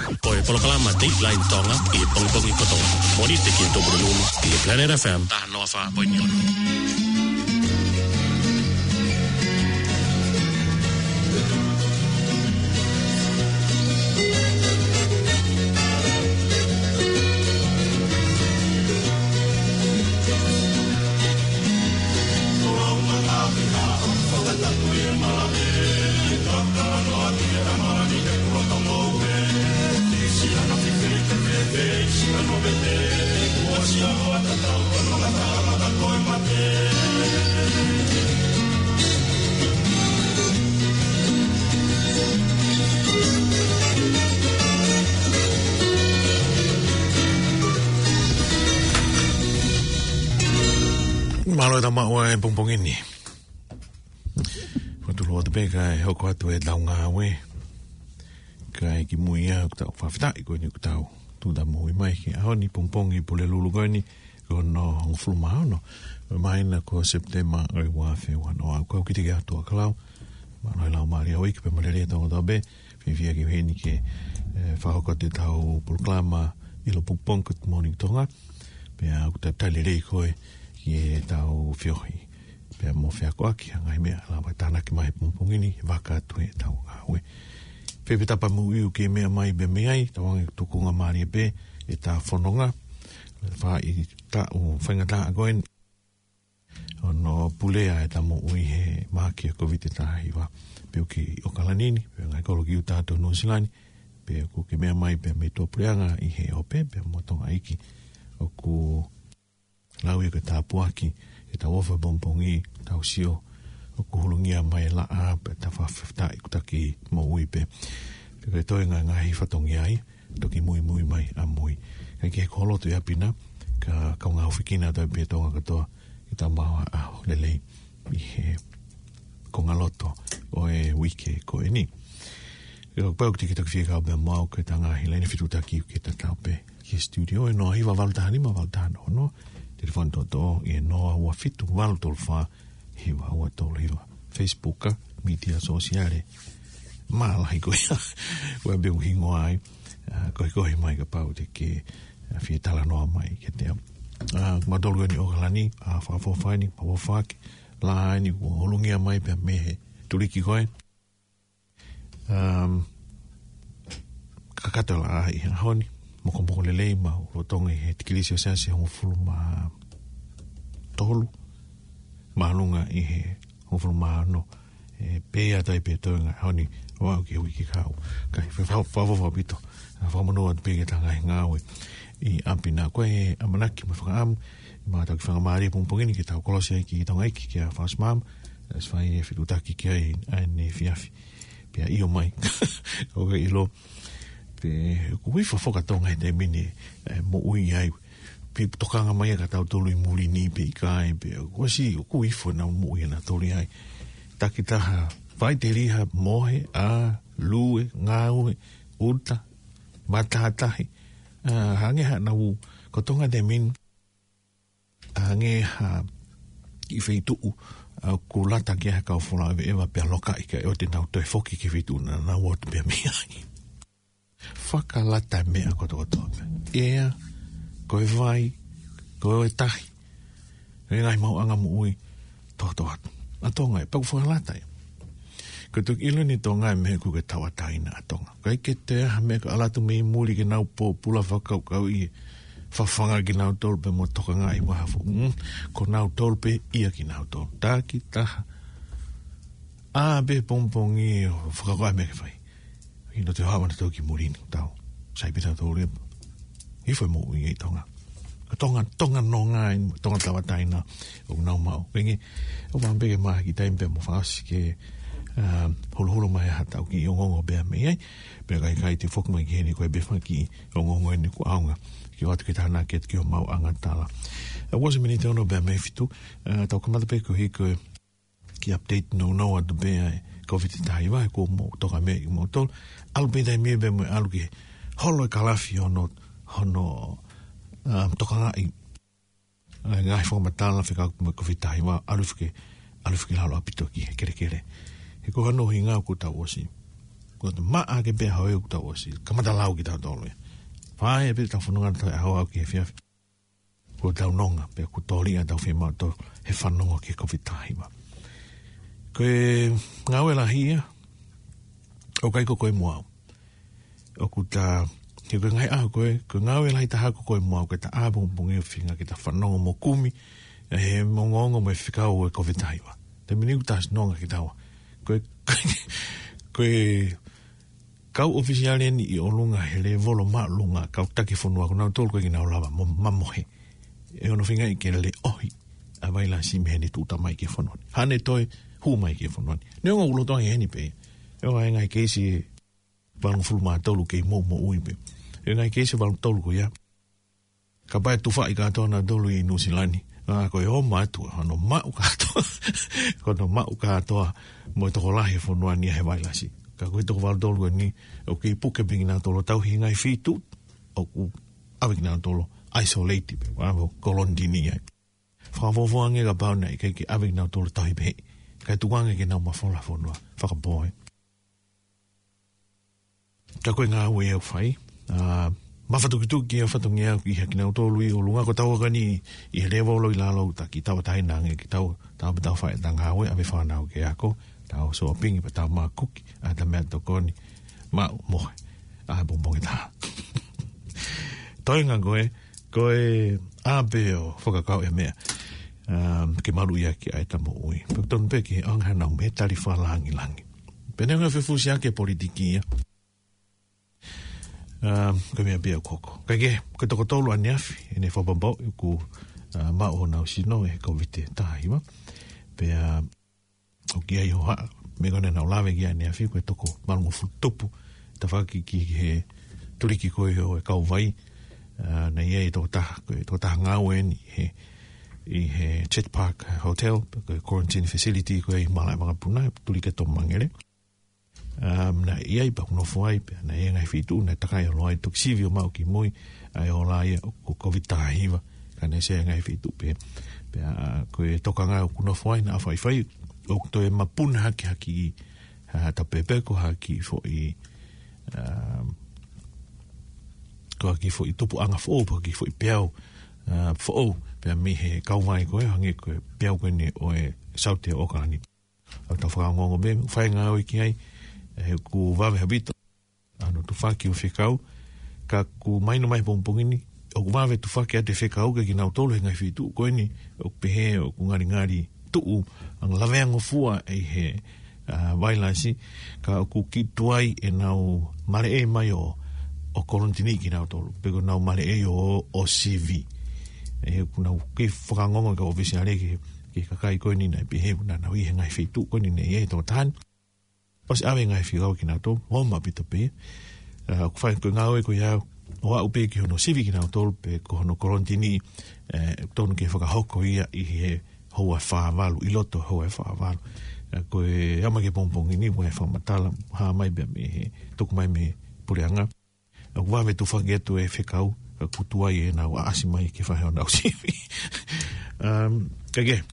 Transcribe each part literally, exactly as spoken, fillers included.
Ko e polokalama Dateline Tonga ʻi he pongipongi kotoa. Mōnite ki he Tupulelulu ʻi he Planet F M taha noa fā poini ono. Mālō e tau maʻu e pongipongi ni. Fakatulou atu pē kae hoko atu e tau ngāue. Kae kimui ia ʻoku tau fakafetaʻi ko eni ʻoku tau tuʻutāmaki mai ki he ʻaho ni, pongipongi Pulelulu ko eni, ko hono hongofulu mā ono ʻo e māhina ko Sepitema ʻo e ua afe ua noa. Ko au Kitiki Atuakalau. Mālō e lau mālie ʻa e uike pea mo e lelei ʻa e tau ngata pē. Fiefia ke u ʻi heni ke, eh, fakahoko atu e tau polokalama ʻilo pongipongi Good Morning Tonga. Pea ʻoku talitali lelei koe ki he tau feohi pea mo feakoʻaki ʻa e ngaahi meʻa ʻe lava tānaki mai he pongipongi ni, vaka atu he tau ngāue. Pea pē tapa moʻui ʻoku ke meʻa mai pē mei ai, tauange tukunga mālie pē e tau fononga. Fai taʻu faingataʻa ko eni ʻo hono pulea e tau moʻui he mahaki ʻa e Kōviti taha hiva. Pea ʻoku ke ʻi ʻAokalani ni, pea ngaahi kolo ki ʻuta atu Nuʻusila ni, pea ʻoku ke meʻa mai pē mei tuʻapuleʻanga ʻi he ope, pea mo Tonga ʻEiki. ʻOku lau ia ko e tāpuaki, e tau ʻofa pongipongi, tau sio ʻoku hulungia mai e laʻā, pea tau fakafetaʻi ʻoku taki moʻui pē. Pea ko e toenga ngaahi fatongia ai, toki muimui mai ʻamui. Kae kehe ko ho loto ʻi ʻapi na, ka kau ngāue fekina atu pē Tonga kotoa, ke tau maʻu ha ʻaho lelei ʻi he konga loto ʻo e uike ko eni. Pea ʻoku ou tiki toki fie kau pē mo au ki he tau ngaahi laine fetuʻutaki ke tatau pē ki he studio ʻe noa hiva valu taha nima valu taha noa noa, telefoni toʻotoʻo ʻe noa ua fitu valu tolu fā hiva ua tolu hiva. Facebook, media sosiale, mālahi ko ia. Ua pē ʻoku hingoa ai, ʻa, koekoe mai kapau te ke, ʻa, fie talanoa mai kiate au. ʻA, mātolu eni ʻAokalani, ʻa, fakafofonga eni, fakafofonga ake, laʻā eni, ʻoku hulungia mai pē mei he tuliki ko ē. Um, kakato e laʻā ʻi he ʻaho ni, mokomoko lelei, mau lolotonga ʻi he tikilisi ʻo Selesiasi hongofulu mā tolu, māʻolunga ʻi he hongofulu mā ono, ʻe pē ʻa e taimi pē toenga ʻaho ni, ʻo aʻu ki he uike kahaʻu. Kae fa-, fa-, fakafofonga ʻaupito, ʻa, fakamonū atu pē ki he tau ngaahi ngāue ʻi ʻapi na. Ko e ʻamanaki mo e fakaʻamu, ma tau kiʻi faingamālie pongipongi ni ke tau kolosi ai ki Tonga ʻEiki, kia Fausmam, ʻa, ʻosi fai e fetuʻutaki ki ai ʻa ʻene efiafi. Pea ʻio mai. ʻOku ke ʻilo, pea ʻoku ʻi fafo ka Tonga he taimi ni, ʻe, moʻui ai. Pea tokanga mai ʻa kitautolu ʻi muli ni pē ʻikai, pea ʻoku ʻosi, ʻoku ʻi fo nau moʻui ʻa nautolu ai. Takitaha, faʻiteliha, mohe, ʻā, lue, ngāue, ʻuta, matātahi, ʻa, hangē ha nau, ko Tonga he taimi ni, hangē ha kiʻi feituʻu, ʻa, ʻoku lata ki ai ha kau folau ʻeveʻeva pea lokaʻi kae ʻoua te nau toe foki ki he feituʻu naʻa nau ō atu pē mei ai. Fakalata e meʻa kotokotoa pē. ʻEa, ko e vai, ko e tahi, ko e ngaahi maʻuʻanga moʻui, tokotoa atu. ʻA Tonga ē, pea ʻoku fakalata ia. Ko e toki ʻilo eni Tonga ē mei he ʻoku ke tauʻatāina ʻa Tonga. ʻIkai ke toe ʻi ai ha meʻa ka ʻalu atu mei muli ke nau pōpula fakakaukauʻi, fafanga kinautolu pē mo tokangaʻi ʻi ha foʻi, mm, ko nautolu pē ia kinautolu. Takitaha. ʻĀ pē pongipongi ʻo fakakaukau e meʻa ke fai. ʻI no te hava na tau ki muli ni tau. Sai pē tautolu ia. ʻI fo e moʻui ʻi Tonga. Ko Tonga, Tonga nonga ē, Tonga tauʻatāina ʻoku nau maʻu. Koeʻuhi, ʻoku ou fakaʻamu pē ke mahaki taimi pea mo fakaʻosi ke, ʻa, holoholo mai ha tau kiʻi ongoongo pea mei ai. Pea ka ʻikai te u foki mai ki heni ko e pē fanga kiʻi ongoongo eni ʻoku ʻaonga ke ʻoatu ke tānaki atu ki homau ʻangatala. ʻA, ʻosi miniti ono pea mei he fitu, ʻa, tau kamata pē koeʻuhi ko e kiʻi update nounou atu pē ʻa e Kōviti taha hiva, he kuo mou toka mei ai moutolu. ʻAlu pē taimi pea mo e ʻalu ki he holo e kalafi hono, hono, um, tokangaʻi ʻa e ngaahi fakamatala fekauʻaki mo e Kōviti taha hiva, ʻalu hifo ki, ʻalu hifo ki lalo ʻaupito ki he kelekele. He ko hono ʻuhinga ʻoku tau ʻosi Ko e maʻa ke pea hoi ʻoku tau ʻosi kamata lau kitautolu ia. Fai pē ʻetau fononga ʻo aʻu ki he efiafi. Ko ʻetau nonga, pea kuo tōliʻa ʻetau fiemaʻu ʻo tau fanongo ki he Covid taha hiva. Ko e ngāue lahi ia, ʻoku ʻikai ko koe mo au. ʻOku ta, he ko e ngaahi ʻaho ko ē, ko e ngāue lahi taha ko koe mo au, ke ta ʻā pongipongi ʻo feinga ke ta fanongo mo kumi, ʻa e ongoongo mo e fekau ʻo e Covid taha hiva. Taimi ni ʻoku ta ʻosi nonga kitaua. Ko e, ko e kau ʻofisiale eni ʻi ʻolunga he lēvolo māʻolunga, kau taki fonua, ko nautolu ko ē ʻikai ke nau lava mo mamohe. ʻE ono feingaʻi ke leʻohi ʻa e vailasi mei heʻene tuʻuta mai ki he fonua ni. Haʻane toe hū mai ki he fonua ni. Neongo ʻoku lolotonga ʻi heni pē. ʻE ʻi ai e ngaahi keisi ʻe valungofulu mā tolu kei moʻui pē. ʻE ʻi ai e ngaahi keisi ʻe valungofulu tolu ko ia. Kapau ʻe tufaʻi kātoa nautolu ʻi Nuʻusila ni. ʻA, ko e ō mai atu, ko hono maʻu kātoa. Ko hono maʻu kātoa mo e tokolahi e fonua ni he vailasi. Ka ko e toko valungofulu tolu ko eni, ʻoku kei puke pē kinautolu ʻo tauhi e ngaahi feituʻu ʻoku ʻave kinautolu ʻo isolate pē, ʻave ʻo kolonitini ai. Fakafuofua ange kapau naʻe ʻikai ke ʻave kinautolu ʻo tauhi pē. Kae tuku ange ke nau mafola fonua. Fakapō ē. Ka ko e ngāue ʻoku fai. ʻA, mafatukituki ʻa e fatongia ʻoku ʻi ai kinautolu ʻi ʻolunga, ko taua ko eni ʻi he lēvolo ʻi lalo, taki tauʻatāina ange kitaua, tau pē tau fai ʻeta ngāue, ʻave fānau ke ako, tau sōpingi pea tau makuki, ʻa ʻeta meʻatokoni, maʻu mohe, ʻā pongipongi taha. Toenga ko ē, ko e ʻā pē ʻo fakakau e meʻa, um, ke maluʻi ʻaki ʻa ʻeta moʻui. Pea tonu pē ke ʻoange haʻanau meʻatali fakalangilangi. Pea neongo e fefusiaki ʻa e politiki ia. Um, ko e meʻa pē ia ʻoku hoko. Kae kehe, ko e toko tolu ʻaneafi, ʻene fakapapauʻi ʻoku, uh, maʻu honau sino ʻe he Covid taha hiva. Pea, uh, ʻoku ʻi ai e hohaʻa, meʻa ko ē naʻa nau lave ki ai ʻaneafi, ko e toko valungofulu tupu, tafaʻaki ki he tuliki ko ē ʻo e kauvai, uh, naʻe ʻi ai e tokotaha, ko e tokotaha ngāue eni he, ʻi he Chet Park Hotel, ko e quarantine facility ko ē ʻi Malaʻe Vakapuna, tuliki ʻa Toma Mangere. Um, naʻe ʻi ai pea ʻoku nofo ai pea, naʻe ʻi ai e ngaahi feituʻu, naʻe takai ʻo ʻalu ai toki sivi ʻo maʻu ki mui, ʻa e ola ia ʻo ko e Covid taha hiva, ka naʻe ʻi ai e ngaahi feituʻu pē. Pea, ʻa, ko e tokanga ʻoku nofo ai naʻa faifai, ʻoku toe mapuna hake ha kiʻi, ʻa, tapepe ko ha kiʻi foʻi, um, ko ha kiʻi foʻi tupuʻanga foʻou, pe ha kiʻi foʻi peau, ʻa, foʻou, pea mei he kauvai ko ē, hangē ko e peau ko eni ʻo e Saute ʻo ʻOkalani. ʻOku tau fakaongoongo pē, fai ngāue ki ai, ʻe, ʻoku vave ʻaupito ʻa hono tufaki ʻo e fekau, ka ʻoku mahino mai he pongipongi ni, ʻoku vave tufaki ʻa e fekau kiate kinautolu he ngaahi feituʻu ko eni, ʻoku pehē ʻoku ngalingali tuʻu, ʻa e lavea ngofua ʻi he, ʻa, vailasi, ka ʻoku kiʻi tuai ʻenau maleʻei mai ʻo, ʻo kolonitini kinautolu, pe ko ʻenau maleʻei ʻo, ʻo sivi. ʻE, ʻoku nau kei fakaongoongo ki he ʻōfisiale ki he, ki he kakai ko eni naʻe pehē ʻoku nau ʻi he ngaahi feituʻu ko eni naʻe ʻi ai e tokotaha ni. ʻOsi ʻave e ngaahi fekau kiate kinautolu, ʻo maʻu ʻaupito pē. ʻA, ʻoku fai ko e ngāue ko ia, ʻo aʻu pē ki hono sivi kinautolu, pe ko hono kolonitini, ʻe, tonu ke fakahoko ia ʻi he houa ʻe fā valu, ʻi loto houa ʻe fā valu. ʻA, ko e ʻaho mai ki he pongipongi ni, ʻoku ʻi ai e fakamatala, hā mai pē mei he, tuku mai mei he puleʻanga. ʻOku vave tufaki atu e fekau, ka ʻoku tuai ʻenau ʻaʻasi mai ke fai honau sivi. Um, kae kehe, ʻoku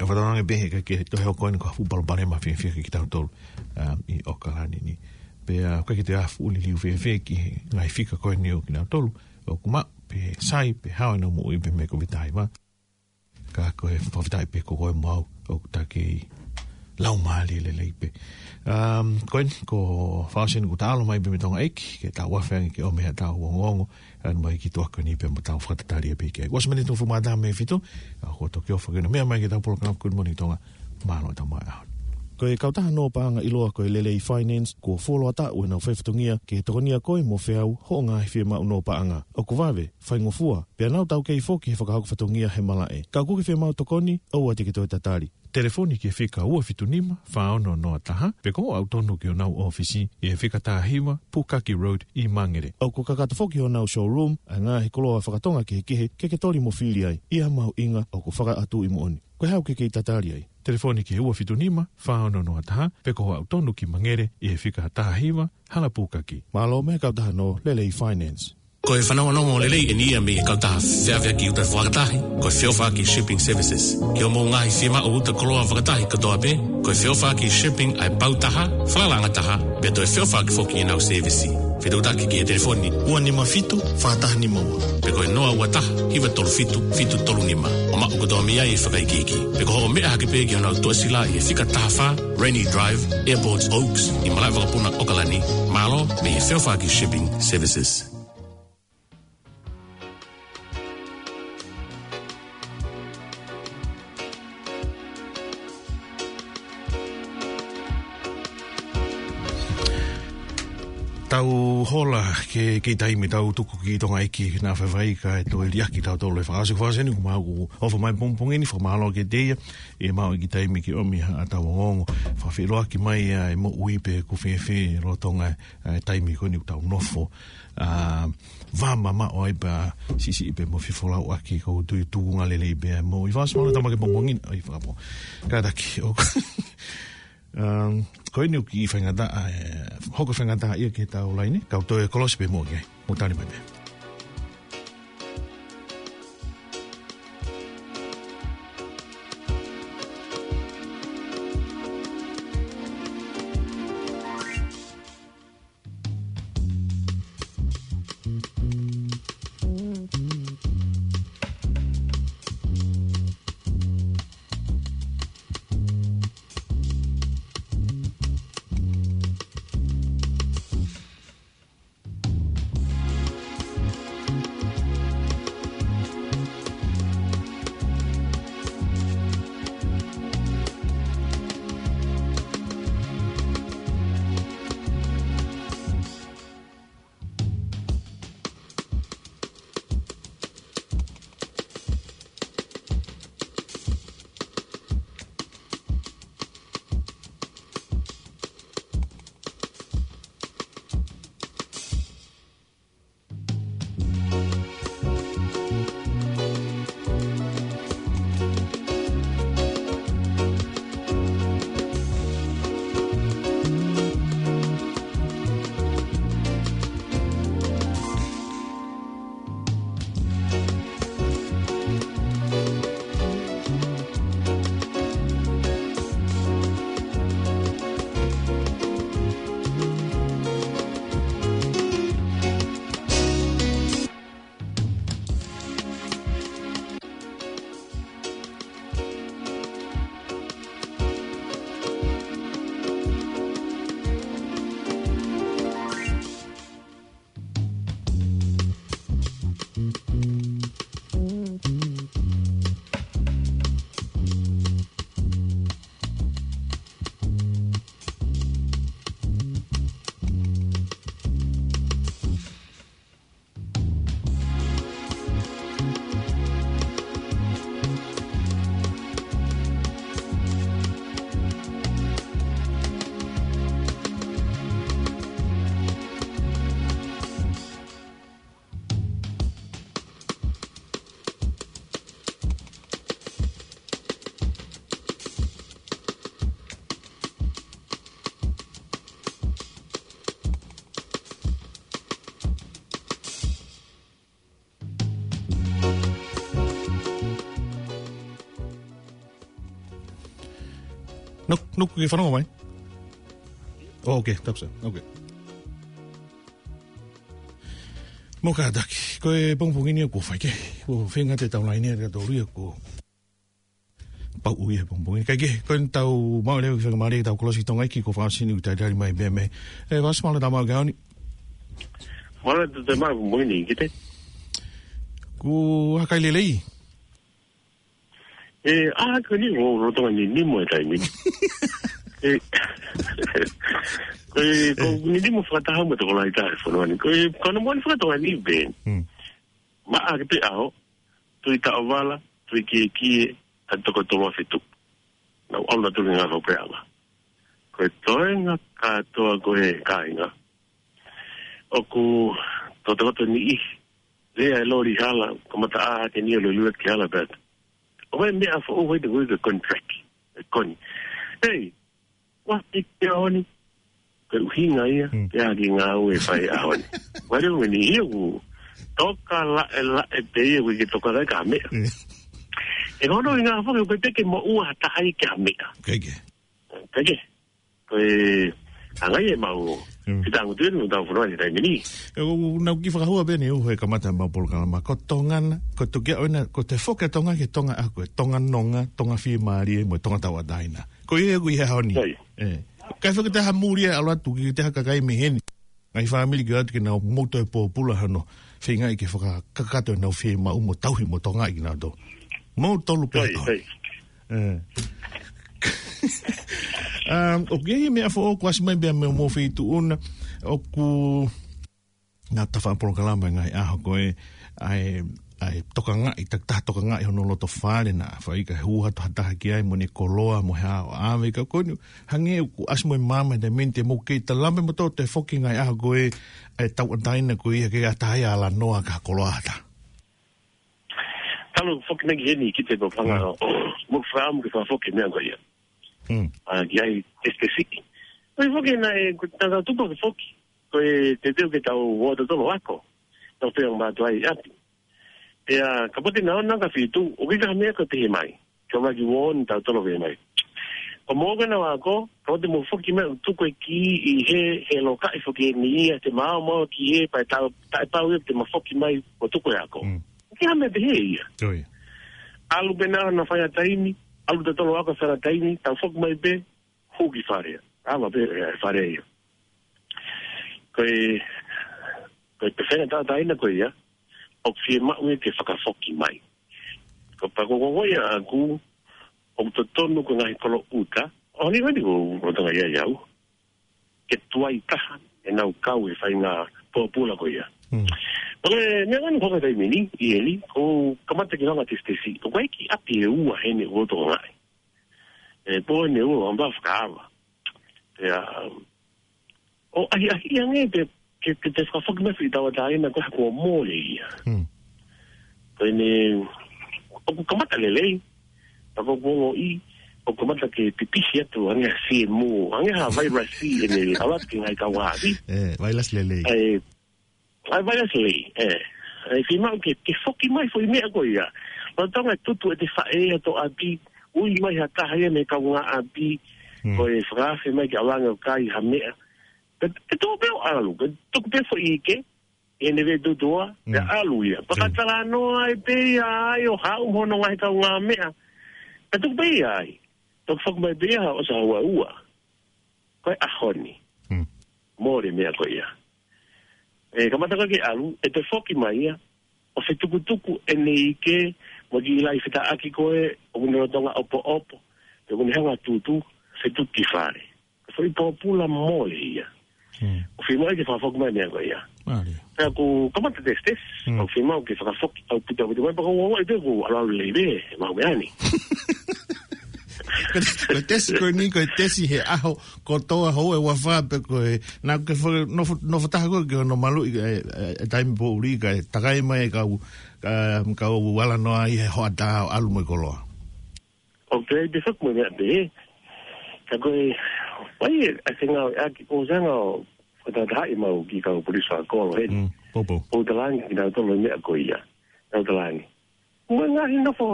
ou fakatokangaʻi pē he ʻikai ke toe hoko eni ko ha fuʻu palopalema fiefia kiate kitautolu, um, ʻi ʻOkalani ni. Pea ʻoku ʻikai ke toe ʻi ai ha fuʻu liliu fēfē ki he ngaahi fika ko eni ʻo kinautolu ʻoku maʻu, pe sai, pe hao ʻenau moʻui pē mei he Covid taha hiva. Ka ko e fakafetaʻi pē ko koe mo au, ʻoku ta kei laumālie lelei pē. Um, ko eni, ko e fakaʻosi eni kuo ta ʻalu mai pē mei Tonga ʻEiki, ke ta ʻofa ange ke ʻomai haʻatau ongoongo, ʻa eni mai ki he tuʻa ko eni pea mo tau fakatatali pē ki ai. Ua miniti hongofulu mā taha mei he fitu, ʻa, ko e toki ʻofa ke ʻomai ki heʻetau polokalama Good Morning Tonga, mālō ʻetau maʻu ʻaho. Ko e kautaha nō paʻanga ʻiloa ko e Lelei Finance, kuo fuoloa taʻu ʻenau faifatongia ke tokonia koe mo feau hoʻo ngaahi fiemaʻu nō paʻanga. ʻOku vave, faingofua, pea nau taukei foki he fakahoko fatongia he malaʻe. Ka ʻoku ke fiemaʻu tokoni, ʻoua te ke toe tatali. Telefoni ki he fika ua fitu nima, fā ono noa taha, pe ko hoʻo aʻu tonu ki honau ʻōfisi, ʻi he fika taha hiva, Pukaki Road, ʻi Mangere. ʻOku kakato foki honau showroom, ʻa e ngaahi koloa fakatonga kehekehe, ke ke toli mo fili ai, ʻi ha mahuʻinga ʻoku fakaʻatuʻi moʻoni. Ko e hā ʻoku ke kei tatali ai? Telefoni ki he ua fitu nima, fā ono noa taha, pe ko hoʻo aʻu tonu ki Mangere, ʻi he fika taha hiva, Hala Pukaki. Mālō mei he kautaha nō Lelei Finance. Ko e fanongonongo lelei eni ia mei he kautaha feʻaveʻaki uta fakatahi, ko e feʻofaʻaki shipping services. Ki hoʻomou ngaahi fiemaʻu uta koloa fakatahi kotoa pē, ko e feʻofaʻaki shipping ʻa e pau taha, falalaʻanga taha, pea toe feʻofaʻaki foki ʻenau sēvisi. Fetuʻutaki ki he telefoni ua nima fitu, fā taha nima ua. Pe ko e noa ua taha, hiva tolu fitu, fitu tolu nima. ʻO maʻu kotoa mei ai e fakaikiiki. Pe ko hoʻo meʻa hake pē ki honau tuʻasila ʻi he fika taha fā, Rennie Drive, Airport Oaks, ʻi Malaʻevakapuna, ʻOkalani. Mālō, mei he feʻofaʻaki shipping services. Tau hola ke, ke taimi tau tuku ki Tonga ʻEiki naʻa faifai kae toe liʻaki tautolu e fakaʻosi. Fakaʻosi eni, ko mau ʻoku ʻofa mai pongipongi ni, fakamālō kiate ia ʻi he maʻu ʻeiki taimi ke ʻomi haʻatau ongoongo. Fakafeʻiloaki mai ʻa e moʻui pe ʻoku fēfē lolotonga e taimi ko eni ʻoku tau nofo, ʻa, vā mamaʻo ai pea siʻisiʻi pē mo fefolauʻaki. Ko u tui tuʻunga lelei pē ʻa e moʻui. Fakaʻosi mālō e tama ke pongipongi ni, ʻai fakapō. Kātaki, ʻoku, um, ko eni ʻoku kiʻi faingataʻa, ʻe, hoko faingataʻa ia ki heʻetau laine, kau toe kolosi pē mo ke, mo tali mai pē. Nuk, nuk, ke fanongo mai. Oh, okay, tapu sā. Okay. Mou kātaki, ko e pongipongi ni ʻoku fai ke, ʻoku feinga ʻetau laine ʻa tautolu ia ko Pauʻu ia he pongipongi ni. Kae kehe, ko ʻetau maʻu leva ke fakamālō ʻetau kolosi Tonga ʻEiki ko Fakaʻosi ni ʻoku talitali mai pē mei. ʻE, Fakaʻosi mālō e tau maʻu ke aoni. Mālō e tau maʻu pongipongi ni, kite. Ko e hā e kai lelei? ʻE, ʻa, ko eni ʻoku ou lolotonga ninimo he taimi ni. ʻE, ko e, ko e ninimo fakataha mo e tokolahi taha he fonua ni. Ko e, ko hono moʻoni faka-Tonga ni pē. Hmm. Maʻa ke pē ʻaho, tui taʻovala, tui kiekie, ʻa e toko tolu afe tupu. Naʻa ku ʻalu atu ki he ngaahi fakapuleʻanga. Ko e toenga kātoa ko ē kāinga. ʻOku tokoto ni ʻi, lea e loli hala, kamata ʻā hake ni ʻo lele ki hala pē atu. ʻOku ʻi ai e meʻa foʻou ʻi he ko e contract, e koni. Hei, ʻoua ʻe ʻi he ʻaho ni, ko e ʻuhinga ia, hmm, ke ʻai ke ngāue fai he ʻaho ni. Wale ʻo ni ia ʻoku, Toka laʻe laʻe pē ia, ʻoku ʻikai ke toka laʻe ki ha meʻa. ʻE hono ʻuhinga foki ʻoku ʻikai ke moʻua ha taha ia ki ha meʻa. ʻIkai ke. ʻIkai ke. Ko e anga ia ʻemau fitangutui ʻi heʻetau fonua he taimi ni. ʻE, ʻoku nau kiʻi fakahua pē ʻeni ʻi he kamata ʻemau polokalama. Ko Tonga na, ko e tukia ʻo ena, ko e toe foki ʻa Tonga ki Tonga ʻa ko e Tonga nonga, Tonga fiemālie, mo e Tonga tauʻatāina. Ko ia ʻoku ʻi he ʻaho ni. ʻIkai foki te ha muli ʻe ʻalu atu ki te ha kakai mei heni. Ngaahi fāmili ke ʻoatu ke nau mou toe pōpula hano feingaʻi ke fakakakato ʻenau fiemaʻu mo tauhi mo Tonga ʻi kinautolu. Mou tolu pē. ʻE. Um, ʻoku ʻi ai e meʻa foʻou kuo ʻasi mai pea mei homou feituʻu na, ʻoku nau tafa polokalama ngaahi ʻaho ko ē, ʻa e, ʻa e tokangaʻi, takitaha tokangaʻi hono loto fale na, fai ka hū atu ha taha ki ai mo ʻene koloa, mo ha ʻave ka ko eni, hangē ʻoku ʻasi mo e maama he taimi ni te mou kei talame mo tō toe foki ngaahi ʻaho ko ē, ʻa e tauʻatāina ko ia ke ʻatā ai ʻa Lanoa ka koloa ata. Talu foki nei ki heni ki te papa nga, mo fam ke fa foki meʻa ko ia. Hmm. ʻA, ki ai, tesi tesi. Oi foki na e, ko tata tupa ke foki. Ko e te teu ke tau ua totolo ako. Tau te ang batu ai ati. Ia, ka pote na ona ka fitu, ʻoku ʻikai ha meʻa ko te he mai. Ka maki won tau tolo ke mai. Ko mo ke na wako, ka pote mo foki mai, tuku e ki ʻi he, he loka ʻi foki e ni ia, te mao mao ki he, pa e tau, ta e pau ia te ma foki mai, mo tuku e ako. Hmm. Ke hame te he ia. Oi. ʻAlu pē na na fai a taimi, ʻalu te tolo ako fai a taimi, tau foki mai pē, huki fare. Ama pē, e, fare ia. Ko e, ko e pefena tauʻatāina ko ia, ʻoku fiemaʻu ia ke fakafoki mai. Ko pa ko ko ia ʻaku, ʻoku totonu ko e ngaahi kolo ʻuta, ʻo ni wani ko, ko tonga ia iau. Ke tuai taha, ʻenau kau he faʻahinga pōpula ko ia. Hmm. Pole, meʻa ngani ko ka taimi ni, ʻi heni, ko kamata ki hanga tesi tesi, ko kai ki ʻapi e ua heni ʻo tonga ai. E, po heni ua, amba fakaava. Ia, ʻo ahi ahi ia nge te, ke, ke te fakafoki mai fai tauʻatāina ko ha ko mole ia. Hmm. Ko eni, ʻoku kamata lelei, pa ko ko i, ʻoku kamata ke pipisi atu, ange ha siemu, ange ha vairasi, ʻene, ʻalu atu ki ngai kau havi. E, vairasi lelei. E, ʻa e vairasi lelei, e. E, fiemaʻu ke, ke foki mai foʻi meʻa ko ia. Lolotonga e tutu ʻete faʻē ʻa to ʻapi, ui mai ha taha ia mei he kaungāʻapi, Hmm. ko e fakaafe mai ke ʻalu ange ʻo kai ha meʻa. Ke, ke tō pē ʻo ʻalu, ke tuku pē foʻi ʻike, ʻene vē tutua, ke Hmm. ʻalu ia. Pea ka Hmm. talanoa ai pē ia ai ʻo haʻu mo hono ngaahi kaungāmeʻa. Ke tuku pē ia ai. Toki foki mai pē ia ʻo sa ua ua. Ko e ʻaho ni. Hmm. Mole meʻa ko ia. E kamata ko ke ʻalu, ʻete foki mai ia, ʻo fetukutuku ʻene ʻike, mo ki lai fetaʻaki ko e, ʻo mune lolotonga ʻopoʻopo, ʻo mune hanga tutu, fetuki fare. Foʻi pōpula mole ia. Hmm. ʻOku fiemaʻu ke fakafoki mai meʻa ko ia. Mālie. Pea ʻoku kamata tesi tesi, Hmm. ʻoku fiemaʻu ke fakafoki, ʻaupito, ʻaupito, mai pa ko ua ua ʻete ʻoku ʻalu ʻalu lelei, mau meʻa ni. Ko e tesi ko eni, ko e tesi he ʻaho, kotoa hou e ua fā pe ko e, na ke fo-, nofo, nofo taha ko e ke ono malu i, e, e, e taimi poʻuli ka e takai mai e kau, ka, kau ala noa ʻi he hoʻatā ʻo ʻalu mo e koloa. ʻOku te fakamoʻoni atu ē. Ka ko e, ʻai e, ʻa e ngāue ʻaki ko sanga ʻo, ʻo tatahaʻi mau ki kau polisi fakakolo heni. Mm, popo. ʻO talangi ki nau tolo meʻa ko ia. Nau talangi. Mo e ngaahi nofo,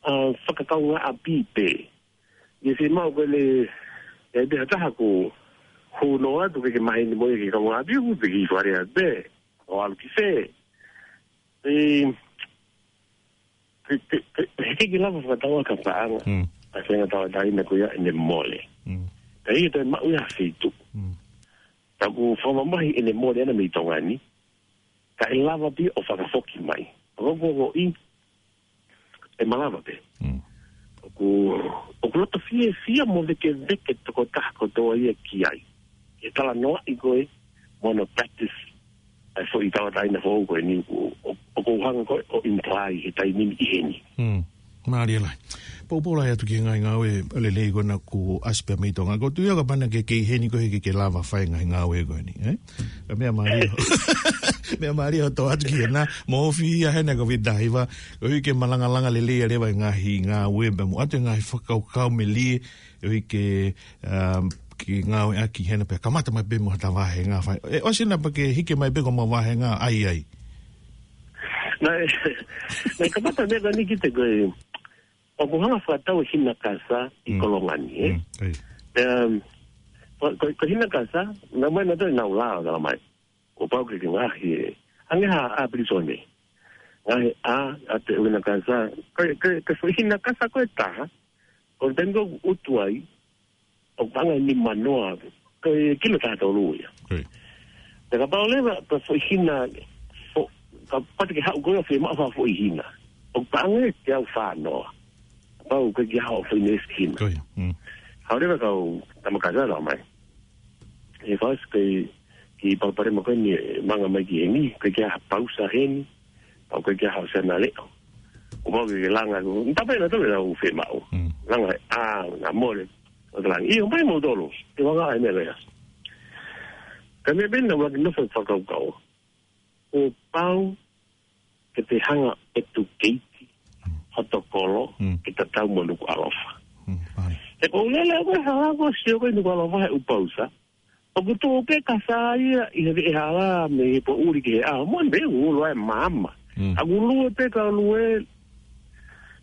ʻa, fakakaungāʻapi pē. Ia fiemaʻu ko e le, e te hataha ko, hono atu ke ke maheni mo e ke kaungāʻapi, ʻoku te ki fare atu pē. ʻO ʻalu ki fē. E, te, te, te, he ke lava fakatau ka paʻanga. Mm. ʻA e fenga tauʻatāina ko ia ʻene mole. Mm. Ka ia te maʻu ia fitu. Mm. Taku fakamamahi ʻene mole ʻana mei Tonga ni. Ka e lava pē ʻo fakafoki mai. Ko ko ko i, e malava pē. Mm. ʻOku, ʻoku loto fiefia mo vekeveke tokotaha kotoa ia ki ai. Ke talanoaʻi ko e, mo hono practice, ʻa e foʻi tauʻatāina foʻou ko eni ʻoku, ʻo, ʻoku ou hanga ko e, ʻo imply he taimi ni ʻi heni. Mm. Mālie lahi. Poupou lahi atu ki he ngaahi ngāue lelei ko ena kuo ʻasi pē mei Tonga. Ko tu ia ka pana ke kei heni ko e ke, ke lava fai ngaahi ngāue ko eni, ē? Ka meʻa mālie. Meʻa mālie ʻo tō atu ki hena, mo ofi ia hena ka vita hiva, koeʻuhi ke malangalanga lelei ʻa leva e ngaahi ngāue, pea mo ʻoatu e ngaahi fakakaukau melie, koeʻuhi ke, um, ke ngāueʻaki hena pea kamata mai pē mo ha ta vāhenga fai. ʻE, ʻosi ena pea ke hiki mai pē ko ma vāhenga ai ai. Naʻe, naʻe kamata meʻa ko eni ki he ko e, ʻoku hanga fakatau e hina kasa ʻi Mm. Kolonga ni, ē? Mm, ʻio. Um, ko, ko, ko e hina kasa, naʻe ʻomai nautolu ʻenau lao, talamai. Kuo pau ke ke ngaohi ē. Hangē ha ʻā pilīsone. Ngaohi ʻā, ʻa e hina kasa. Ko, ko, ko e foʻi hina kasa ko ē ʻe taha. Ko e taimi ko ē ʻoku ʻutu ai, ʻoku paʻanga ʻe nimanoa. Ko e kilo taha tolu ia. ʻIo. Pea kapau leva, ko e foʻi hina, fo-, ka pati ke haʻu ko ē ʻo fiemaʻu ha foʻi hina. ʻOku paʻanga ʻe teau fānoa. Kapau ko e kiʻi haʻu foʻi nesi hina. ʻIo. Mm. Haʻu leva kau tama kasa, talamai. ʻE fasi ke, ki palopalema ko eni ʻe manga mai ki heni, ko e kiʻi ha pausa heni, pau ko e kiʻi ha ʻosi ana leʻo. ʻO mau ke langa, ʻo, tapa ena tole lau fiemaʻu. Mm. Langa, ʻā, na mole, ʻo te langa. ʻIo, mai mo tolo, te wanga ai mele. Ka meʻa pē naʻa ku nofo fakakaukau. Kuo pau ke te hanga ʻo educate hoto kolo Mm. ke tatau mo Nukuʻalofa. Mm, ʻio. He ko e lele ko ē hala ko ē sio ko ē Nukuʻalofa he ʻū pausa. ʻOku tuʻu pē kasa ia ʻi he veʻehala mei he poʻuli ki he ʻaho. Mo ne ulo ai mama. Mm. ʻOku lue pē ka lue.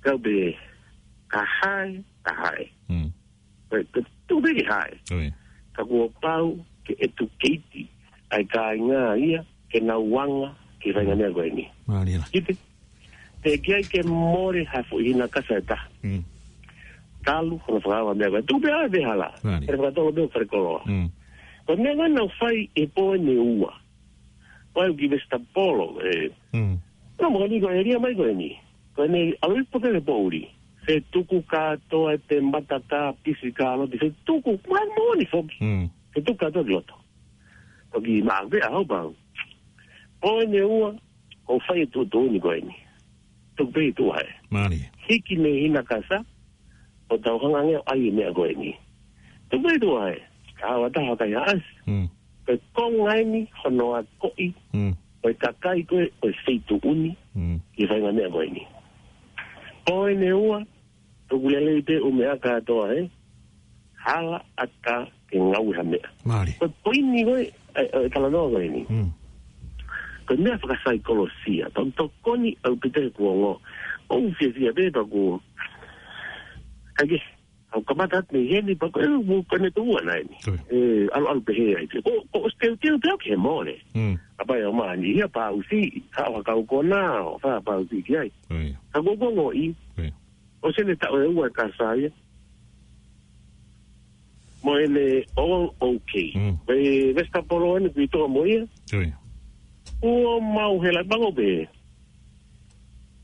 Ka pē ka hae, ka hae. Mm. Ko e, ko e tuʻu pē ke hae. ʻIo. Ka kuo pau ke educate ai kāinga ia, ke nau anga, ki he faʻahinga meʻa ko eni. Mālie lā. Kipe, te ke ai ke mole ha foʻi hina kasa ʻe taha. Mm. Talu, hono fakaava meʻa ko ē. Tuʻu pē ʻa e veʻehala. Mālie. Pea fakatolo pē ʻo fale koloa. Mm. Ko e meʻa ko ē naʻa nau fai ʻi he pō ʻe ua. Ko e ʻuki Vesitapolo, ē. Mm. Naʻa mo kani ko e ʻēlia mai ko eni. Ko eni, ʻalu ʻi he pō ko ē he poʻuli. Fetuku kātoa e temata, ka pisi, ka loti. Fetuku, mai moʻoni foki. Mm. Fetuku kātoa ki loto. Toki maʻa pē ʻaho pau. Pō ʻe ua, ʻoku fai e tuʻutuʻuni ko eni. Tuku pē ʻi tuʻa ē. Mālie. Hiki mei he hina kasa, ʻo tau hanga ange ʻo ʻai e meʻa ko eni. Tuku pē ʻi tuʻa ē. Ka ʻoua ʻe taha kai haʻasi. Mm. Ko e konga eni, hono akoʻi. Mm. Ko e kakai ko ē, ko e feituʻu ni. Mm. Ki he faʻahinga meʻa ko eni. Pō ʻe ua, tuku lelei pē ʻū meʻa kātoa ē. Hala ʻatā ke ngāue ha meʻa. Mālie. Ko e poini ko ē, ʻe, ʻe, talanoa ko eni. Mm. Ko e meʻa fakasaikolosia, tau tokoni ʻaupito he kuonga. ʻOku fiefia pē pea ʻoku. Kae kehe, ʻoku kamata atu mei heni pea ko e, ʻoku, ko e ne tuʻu ana eni. Ko ia. ʻE, ʻalu, ʻalu pehē ai pē. Ko, ko ʻosi teuteu pē au ke mole. Mm. Kae pau ʻe ʻomai ia pausi, ka ʻoku kau kona, ʻo fai pausi ki ai. Ko ia. Ka ko, ko ngoʻi. Ko ia. ʻOsi ʻene taʻu ʻe ua e kasa ia. Mo ʻene all okay. Mm. Pea Vesitapolo eni kui toa mo ia. Ko ia. Kuo mau hela pango pē.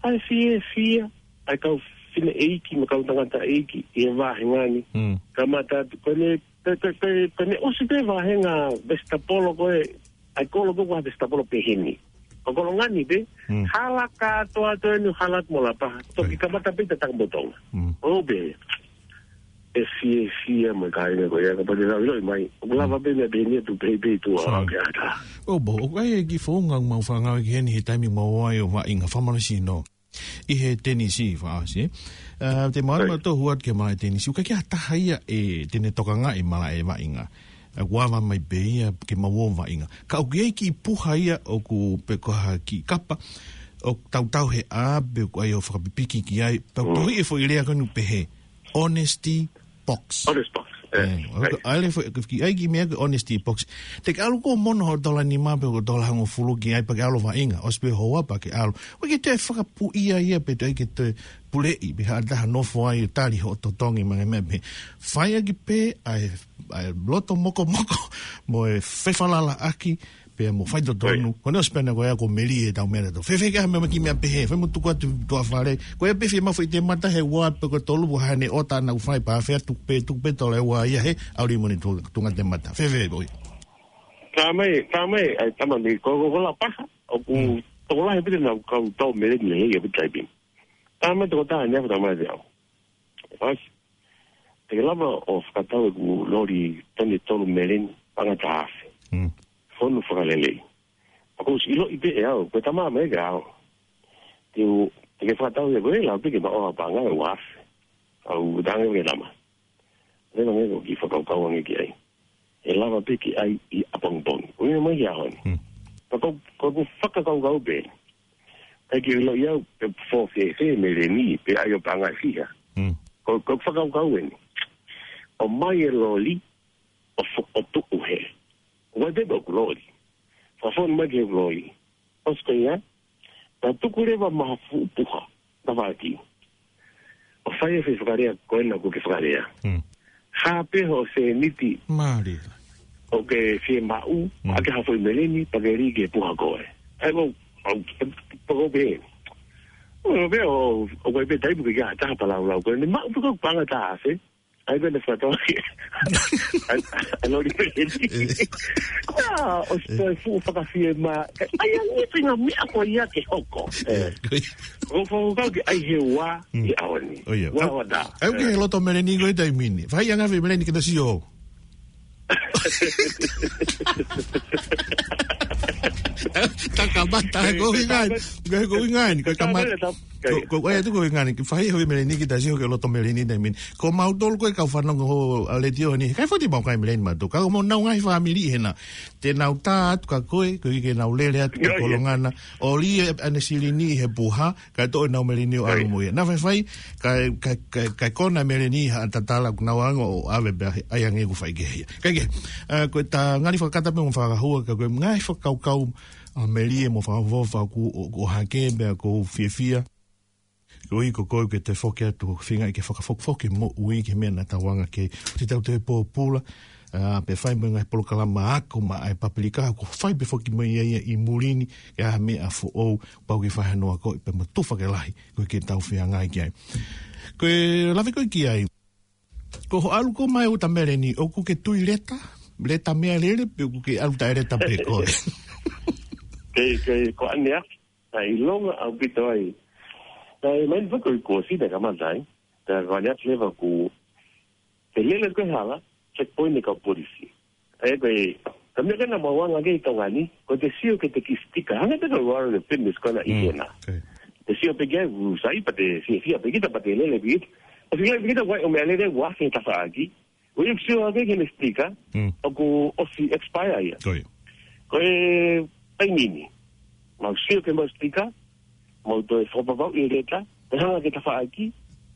ʻAi fiefia, ʻai kau fineʻeiki, mo kau tangataʻeiki, ʻi he vāhenga ni. Mm. Kamata atu, ko ʻene, ko, ko, ko, ko ʻene ʻosi pē vāhenga Vesitapolo ko ē, ʻai kolo ko ē ko ha Vesitapolo pē heni. Ko Kolonga ni pē, Mm. hala kātoa atu eni hala atu mo Lapaha. Toki Ko ia. kamata pē ʻi he takamotonga. Mm. ʻO pē, ʻe fiefia mai kāinga ko ia, ka pau te nau ʻiloʻi mai. ʻOku lava Mm. pē meʻa pē eni atu pē pē tuʻa Fine. ake ata. ʻO pō, ʻoku ʻi ai e kiʻi founga mau fānau ki heni he taimi mau ō ai ʻo vaʻinga fakamolemole sino. ʻI he tenisi fakaʻosi, ē. Ā, te mālama Right. tō huat ke malaʻe tenisi. ʻOku ʻikai ke ʻi ai ha taha ia ʻe te ne tokangaʻi malaʻe vaʻinga. ʻA, ʻoku ava mai pē ia ke mau ō vaʻinga. Ka ʻoku ʻi ai kiʻi puha ia ʻoku pe ko ha kiʻi kapa, ʻoku tautau he ʻā pe ʻoku ʻai ʻo fakapipiki ki ai. Pea ʻoku Mm. tohi e foʻi lea ko eni ʻoku pehē. Honesty box. Honesty box. ʻE, ʻe, ʻo, right. ʻAle fo-, ki ai kiʻi meʻa ko e honesty box. Te ke ʻalu ko mono ho tola nima pe ko tola hongofulu ki ai pea ke ʻalu vaʻinga. ʻOsi pē houa pea ke ʻalu. ʻOku ʻikai ke toe fakapuʻia ia pe toe ke toe puleʻi pe ha taha nofo ai ʻo tali hoʻo totongi mo e meʻa pē. Fai ʻaki pē ʻa e, ʻa e loto mokomoko mo e fefalalaʻaki pea mo faitotonu. Right. Ko ʻene ʻosi pē ena ko ia ko Meli e tau mele to. Fēfē ke ʻai ha meʻa mo e kiʻi meʻa pehē. Fai mo tuku atu tuʻa fale. Ko ia pē fiemaʻu foʻi temata he ua pe ko tolu ua hane ʻota naʻa ku fai pea fea tuku pē, tuku pē tola ʻe ua ia he ʻalu mo ʻene tu-, tuʻunga temata. Fēfē ʻoi. Ka mai, ka mai, ʻai tama ni ko, ko, ko Lapaha. ʻOku Mm. tokolahi pē te nau kau tau mele ni he ia pē taimi. Ka mai toko taha ni ʻa e tama te au. Fasi. Te ke lava ʻo fakatau ʻeku loli toni tolu meleni, paʻanga taha afe. Mm. Fonu fakalelei. Pea ʻoku ou ʻiloʻi pē ʻe au, ko e tama mai ke au. Te u, te ke fakatau ia ko e lau pē ke maʻu ha paʻanga ʻe ua afe. Au tange ke tama. Leva nge ko e kiʻi fakakaukau ange ki ai. ʻE lava pē ke ʻai ʻi ʻapongipongi. Ko ia mai ki he ʻaho ni. Mm. Pea ko, ko ʻeku fakakaukau pē. ʻAi ke ʻilo ʻe au pe ʻoku fēfē meleni, pe ʻai ʻo paʻanga ʻe fiha. Mm. Ko, ko e fakakaukau eni. ʻOmai e loli, ʻo fo-, ʻo tuʻu hē. ʻOku ʻikai pē ʻoku loli. Fakafonu mai ke loli. ʻOsi ko ia, naʻa tuku leva mai ha fuʻu puha, tafaʻaki. ʻO fai e foʻi fakalea ko ena ʻoku ke fakalea. Mm. Hā pē hoʻo sēniti. Mālie. ʻOku ke fiemaʻu, Mm. ʻai ke ha foʻi meleni, pea ke lī ke puha koe. ʻAi ko, au, pako pē. ʻO pē ʻo, ʻoku ʻikai pē taimi ke ʻi ai ha taha pē ʻo laulau ko eni, maʻu pē ko e paʻanga ʻe taha afe. ʻAi ko ena fakatoa ke. ʻAi, ʻai loli meleni. Eh. Kuo ʻosi toe fuʻu fakafiemālie. ʻAi ange pē ngaahi meʻa ko ia ke hoko. Eh. Eh. ʻOku ou fakakaukau ke ʻai he ua Mm. ʻi he ʻaho ni. ʻO ia. Ua, ua tā. ʻAi ke he loto meleni ko e taimi ni. Fai ange ha foʻi meleni ke ta sio. Takamata, ko e ʻuhinga ni. Ko e ʻuhinga ni. Ko e kamata. Ko, ko, ko e ʻuhinga ni. Fai ha foʻi meleni ke ta sio ki he loto meleni taimi ni. Ko mautolu ko e kau fanongo ʻa e letiō ni. ʻIkai foki te mau kai meleni mautolu. Ka ko ʻemau ngaahi fāmili hena. Te nau tā atu kia koe, koeʻuhi ke nau lele atu ki Io, io. Kolonga na. ʻO lī ʻene silini he puha, kae toʻo ʻenau meleni ʻo ʻalu Io, io. mo ia. Naʻa faifai, kae, kae, kae, kae kona meleni ha tatala kuo nau anga ʻo ʻave pē ʻai ange ʻoku fai kehe ia. Kae kehe, ʻa, ko e ta ngali fakakata pē mo fakahua, ka ko e ngaahi fakakaukau ʻa Melie mo fakaʻofoʻofa ʻoku, ʻo, ʻo hake pea ʻoku ou fiefia. Koeʻuhi ko koe ke te foki atu ʻo feinga ke fakafokifoki e moʻui ki he meʻa naʻa tau anga ki ai. ʻOua te tau toe pōpula, ʻa, pea fai mo e ngaahi polokalama ako maʻa e Papilika, ʻoku fai pē foki mo ia ia ʻi muli ni, ke ʻi ai ha meʻa foʻou, pau ke fai hano akoʻi pea mo tufa ke lahi, koeʻuhi ke tau feangai ki ai. Ko e lave ko ē ki ai. Ko hoʻo ʻalu ko ē mai ʻo ta meleni, ʻoku ke tui leta, leta meʻalele, pe ʻoku ke ʻalu taʻeleta pē koe. Ke, ke, ko ʻaneafi, naʻe ʻilonga ʻaupito ai. Naʻe mai ni fako i ko sina kamata ai. Naʻe ko ʻaneafi leva ʻoku ke lele ko e hala, checkpoint ʻa e kau polisi. ʻE ko e, ka meʻa ko ena mau anga ki ai ʻi Tonga ni, ko e te sio ki he kiʻi sitika. Hangē pē ko e warrant of fitness ko ena ʻi Mm, hena. okay. Te sio pē ki ai, ʻoku sai pea te fiefia pē kita pea te lele pē kita. ʻOsi lele pē kita, ʻoku ʻi ai ʻo meʻalele ʻoku afe tafaʻaki. ʻOku ʻi ai ʻoku sio hake ki heʻene sitika, Mm. ʻoku ʻosi expire ia. Ko ia. Ko e taimi ni. Mau sio ki heʻemau sitika, mau toe fakapapauʻi e leta, pea hanga ki he tafaʻaki,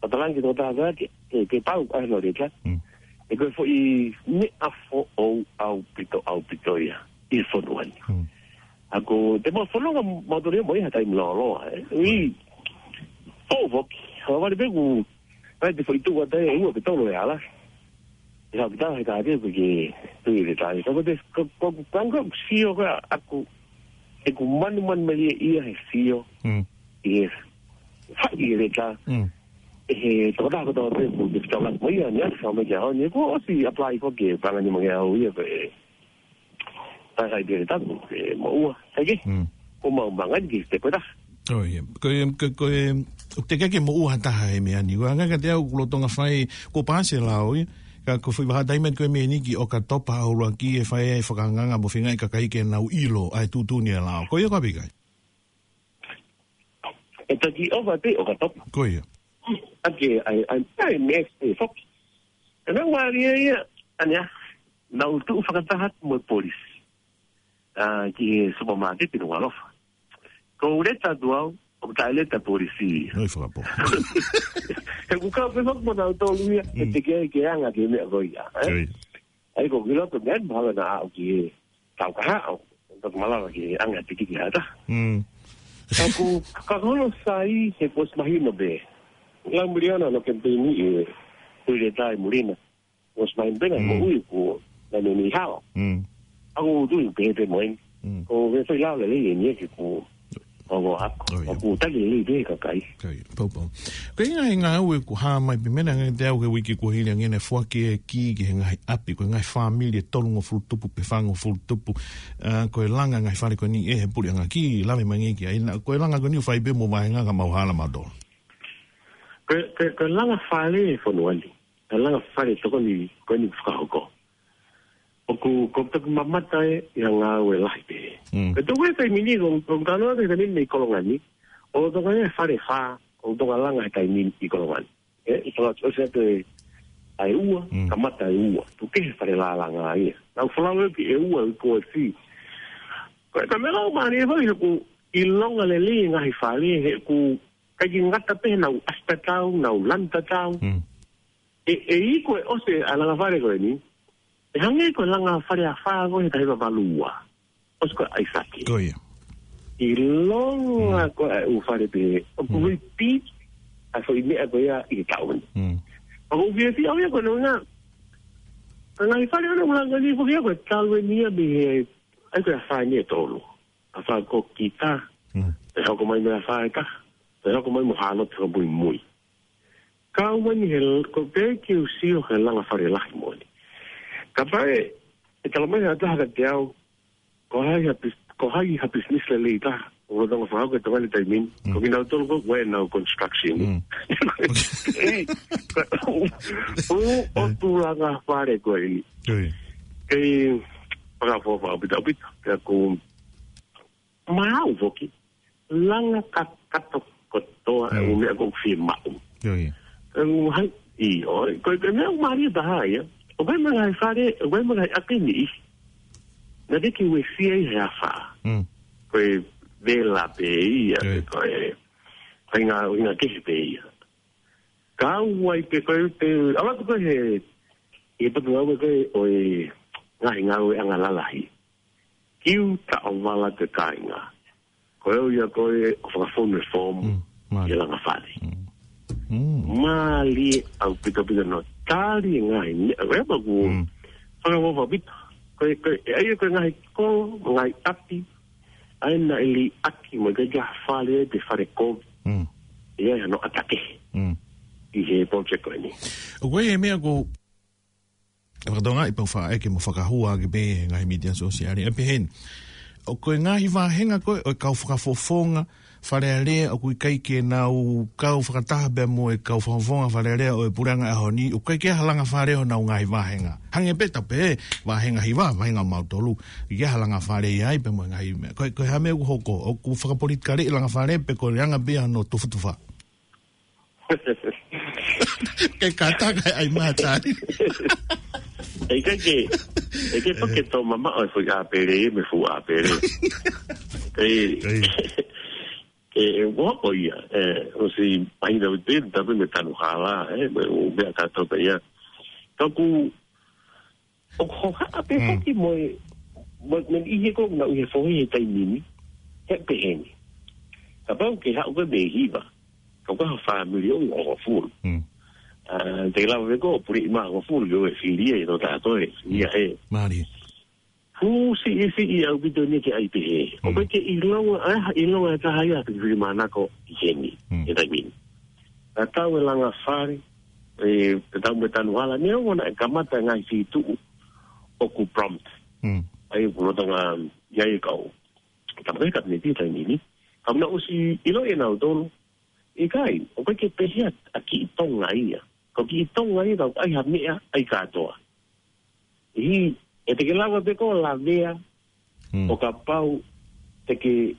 pea talaange ki he tokotaha ke, ke, ke pau ʻa hono leta. Mm. ʻE ko e foʻi meʻa foʻou ʻaupito, ʻaupito ia, ʻi he fonua ni. Mm. ʻA ko, te mau fononga mautolu ia mo ia ha taimi lōloa, ē. ʻUi, foʻou foki, ʻa vale pē ʻoku, ʻai te foʻi tuʻu ʻa e ua pe tolu e ala. ʻE hau kita he ka te ke tui le tai. Ka ko te, ko, ko, ko, ko, ko, sio ko ʻaku, ʻeku manumanu melie ia he sio. Mm. ʻI he, fai ʻi he leta. Mm. ʻE he, toko taha ko toko te, ko te tau lak mo ia, ni atu sa me kia honi, ko ʻosi apply ko ke, panga ni mo ia, ʻo ia ko e, takai te le taku, e, mo ua, kai ke? Mm. Ko mau mangai ki te ko ta. ʻO ia. Ko e, ko, ko e, ʻoku teʻeki ke moʻua ha taha he meʻa ni. Ko e anga kiate au ʻoku lolotonga fai, kuo pāsi e lao ia. Ka ko e foʻi vahaʻa taimi ko e meʻa ni ki ʻOkatopa ʻuluaki ʻe fai ai e fakaangaanga mo feinga e kakai ke nau ʻilo ʻa e tuʻutuʻuni e lao. Ko ia ko ā pē ʻikai? ʻE taki ʻova pē ʻOkatopa. Ko ia. ʻA ke, ʻai, ʻai, ʻai, next day, foki. ʻE nau mālie ia, ʻaneafi, nau tuʻu fakataha mo e polisi. ʻA, ki he supermarket ʻi Nukuʻalofa. Ko u leta atu au, ʻoku taʻeleta polisi. Noi fakapō. He ʻoku kau pē foki mo nautolu ia, Mm. ʻe teʻeki ke anga ki he meʻa ko ia, ē? Oi. ʻAi ko kilo ko meʻa, mahalo naʻa aʻu ki he tau kahaʻu. Toki malava ki he anga tiki ki hata. Mm. Ka ʻoku, ka kono sai he kuo ʻosi mahino pē. Lau Miliona no kempeini e, tui le tai mulina. Kuo ʻosi mahino pē na Mm. moʻui ko, na me ni hao. Mm. ʻA ko tui pē pē moen. Mm. Ko ve fai lau lelei eni e ke ko, ko ko ako. ʻO ia. ʻOku taki lelei pē kakai. Ko ia, pau, pau. Ko e ngaahi ngāue ʻoku hā mai pē mena ngai te au ke uike kuo hili ange ne foaki e kī ki he ngaahi ʻapi, ko e ngaahi fāmili ʻe tolungofulu tupu pe fāngofulu tupu, ʻa, ko e langa ngaahi fale ko eni ʻe he puleʻanga ki lave mai ngai ki ai na, ko e langa ko eni ʻoku fai pē mo vahenga ka mau hala mautolu. Ko e, ko e, ko e langa fale e fonua ni, ko e langa fale tokoni ko eni fakahoko. ʻOku, ko e toki mamata e, ʻi ha ngāue lahi pē. Mm. Ko e toki e taimi ni, ko, ko tano atu he taimi ni ʻi Kolonga ni, ʻoku toka e fale fā, ʻoku toka langa he taimi ni ʻi Kolonga ni. ʻE, ʻi Kolonga, ʻosi atu e, ʻa e ua, Mm. kamata e ua. Tuku kehe fale lālanga ia. Nau folau e ki e ua, ʻi ko e si. Ko e ka me lau mani e fale, ʻoku ʻilonga lelei e ngaahi fale, he ʻoku ʻikai ke ngata pē he nau ʻasi tatau, nau lanu tatau. Mm. ʻE, ʻe ʻi ai ko e ʻosi ʻa e langa fale ko eni, ʻe hangē ko e langa fale ʻa fā ko e he taha hiva valu ua. ʻOsi ko e ʻaisake. Ko ia. ʻIlonga Mm. ko e ʻū fale pē, ʻoku Mm. repeat ʻa e foʻi meʻa ko ia ʻi he taʻu ni. Mm. ʻOku ou fiefia au ia ko e nonga, ko e ngaahi fale ʻoku langa ni foki ia ko e talu eni ia mei he, ʻai ko e ʻa fā ni ʻe tolu. ʻA fā ko kita, Mm. ʻe hoko mai mei he ʻa fā ʻe taha, ʻe hoko mai mo Hāloti ko e muimui. Kau mai ni he l-, ko e pē ke u sio he langa fale lahi moʻoni. Ka pae, ʻe tala mai ha taha kiate au, ko hai ha pis-, ko hai ha business lelei taha, ʻo lolotonga fakahoko e tonga ni taimi ni, Mm. ko kinautolu ko ē ʻoku ʻi ai ʻenau construction. Mm. ʻE, ko e ʻū, ʻū, ʻū ʻotu langa fale ko eni. Ko ia. Kei, fakafoʻou ʻaupito, ʻaupito, pea ko maʻu foki, langa kakato kotoa e Mm. ʻū meʻa ʻoku fiemaʻu. Ko ia. ʻE, ʻū hai, ʻio, ko e, ko e meʻa ʻoku mālie taha ia. ʻOku ʻi ai mo e ngaahi fale, ʻoku ʻi ai mo e ngaahi ʻapi ni. Naʻe ʻikai ke uesia ia he ʻa fā. Mm. Ko e vela pē ia, Ko ia. ko e, ko e ngaahi, ko e ngaahi kehe pē ia. Ka ʻoku ʻi ai pē ko e, pē, ʻalu atu ko ē he, he patu au ko ē ʻo e ngaahi ngāueʻanga lalahi. Kiu taʻovala ki he kāinga. Ko e ʻuhinga ko ē ʻo fakafonu e fomu Mm, mālie. ʻi he langa fale. Mm. Mm. Mālie ʻaupito ʻaupito hono tali e ngaahi meʻa. ʻOku ʻi ai pē ʻoku Mm. fakaʻofoʻofa ʻaupito. Ko e, ko e, ʻa ia ko e ngaahi kolo, ngaahi ʻapi, ʻa ia naʻe liʻaki mo e ngaahi fale, pe fale kovi. Mm. ʻI ai hano ʻata kehe. Mm. ʻI he project ko eni. ʻOku ʻi ai e meʻa ko ʻe fakatokangaʻi pau faʻa ʻeke mo fakahua ʻaki pē he ngaahi mītia sōsiale. ʻE pehē ni. ʻOku ʻi ai e ngaahi vāhenga ko ē ʻo e kau fakafofonga Fale Alea ʻoku ʻikai ke nau kau fakataha pea mo e kau fakafofonga Fale Alea ʻo e puleʻanga ʻaho ni, ʻoku ʻikai ke ʻi ai ha langa fale honau ngaahi vāhenga. Hangē pē ta pē vāhenga hiva, vāhenga mautolu. ʻIkai ke ʻi ai ha langa fale ia ai pea mo e ngaahi meʻa. Ko e, ko e hā e meʻa ʻoku hoko, ʻoku fakapolitikaleʻi e langa fale pe ko e anga pē ia hono tufutufa. Ke kātaki ai mātani. ʻE ʻikai ke, ʻe ʻikai pē ke tō mamaʻo e foʻi ʻāpele, mei he fuʻu ʻāpele. ʻE, ʻE. ʻe, ʻe, ʻoku hoko ia, ʻe, ʻosi pahina ʻo te, tapu mei he tanu hala, ʻe, mei he ʻū meʻa kātoa pē ia. Ka ʻoku ʻoku hohaʻa pē Mm. foki mo e, mo, mo e ʻi he ko na ʻi he fohe he taimi ni, he pehē ni. Kapau ke haʻu ko ē mei he hiva, ka ko ha fāmili ʻo hongofulu. Mm. ʻA, te lava pē ko e puleʻi mā hongofulu, ʻo e fili ē, no tā ko ē, ia ē. Mālie. Fuʻu siʻisiʻi ʻaupito eni ke ʻai pehē. ʻOku Mm. ʻikai ke ʻilonga, ʻa, ʻilonga e taha ia pe fili manako ʻi heni, Mm. he taimi ni. Ka tau e langa fale, ʻe, te tau mei he tanu hala, neongo naʻe kamata e ngaahi feituʻu ʻoku prompt. Mm. ʻA ia ʻoku lolotonga ʻi ai e kau. Kamata e kapineti he taimi ni. Ka naʻe ʻosi ʻiloʻi ʻe nautolu. ʻIkai, ʻoku ʻikai ke pehē ʻa kiʻi Tonga ia. Ko kiʻi Tonga ia, ka ʻoku ʻi ai ha meʻa, ʻai kātoa. ʻI, ʻe te ke lava pē ko e lavea, Mm. ʻo kapau te ke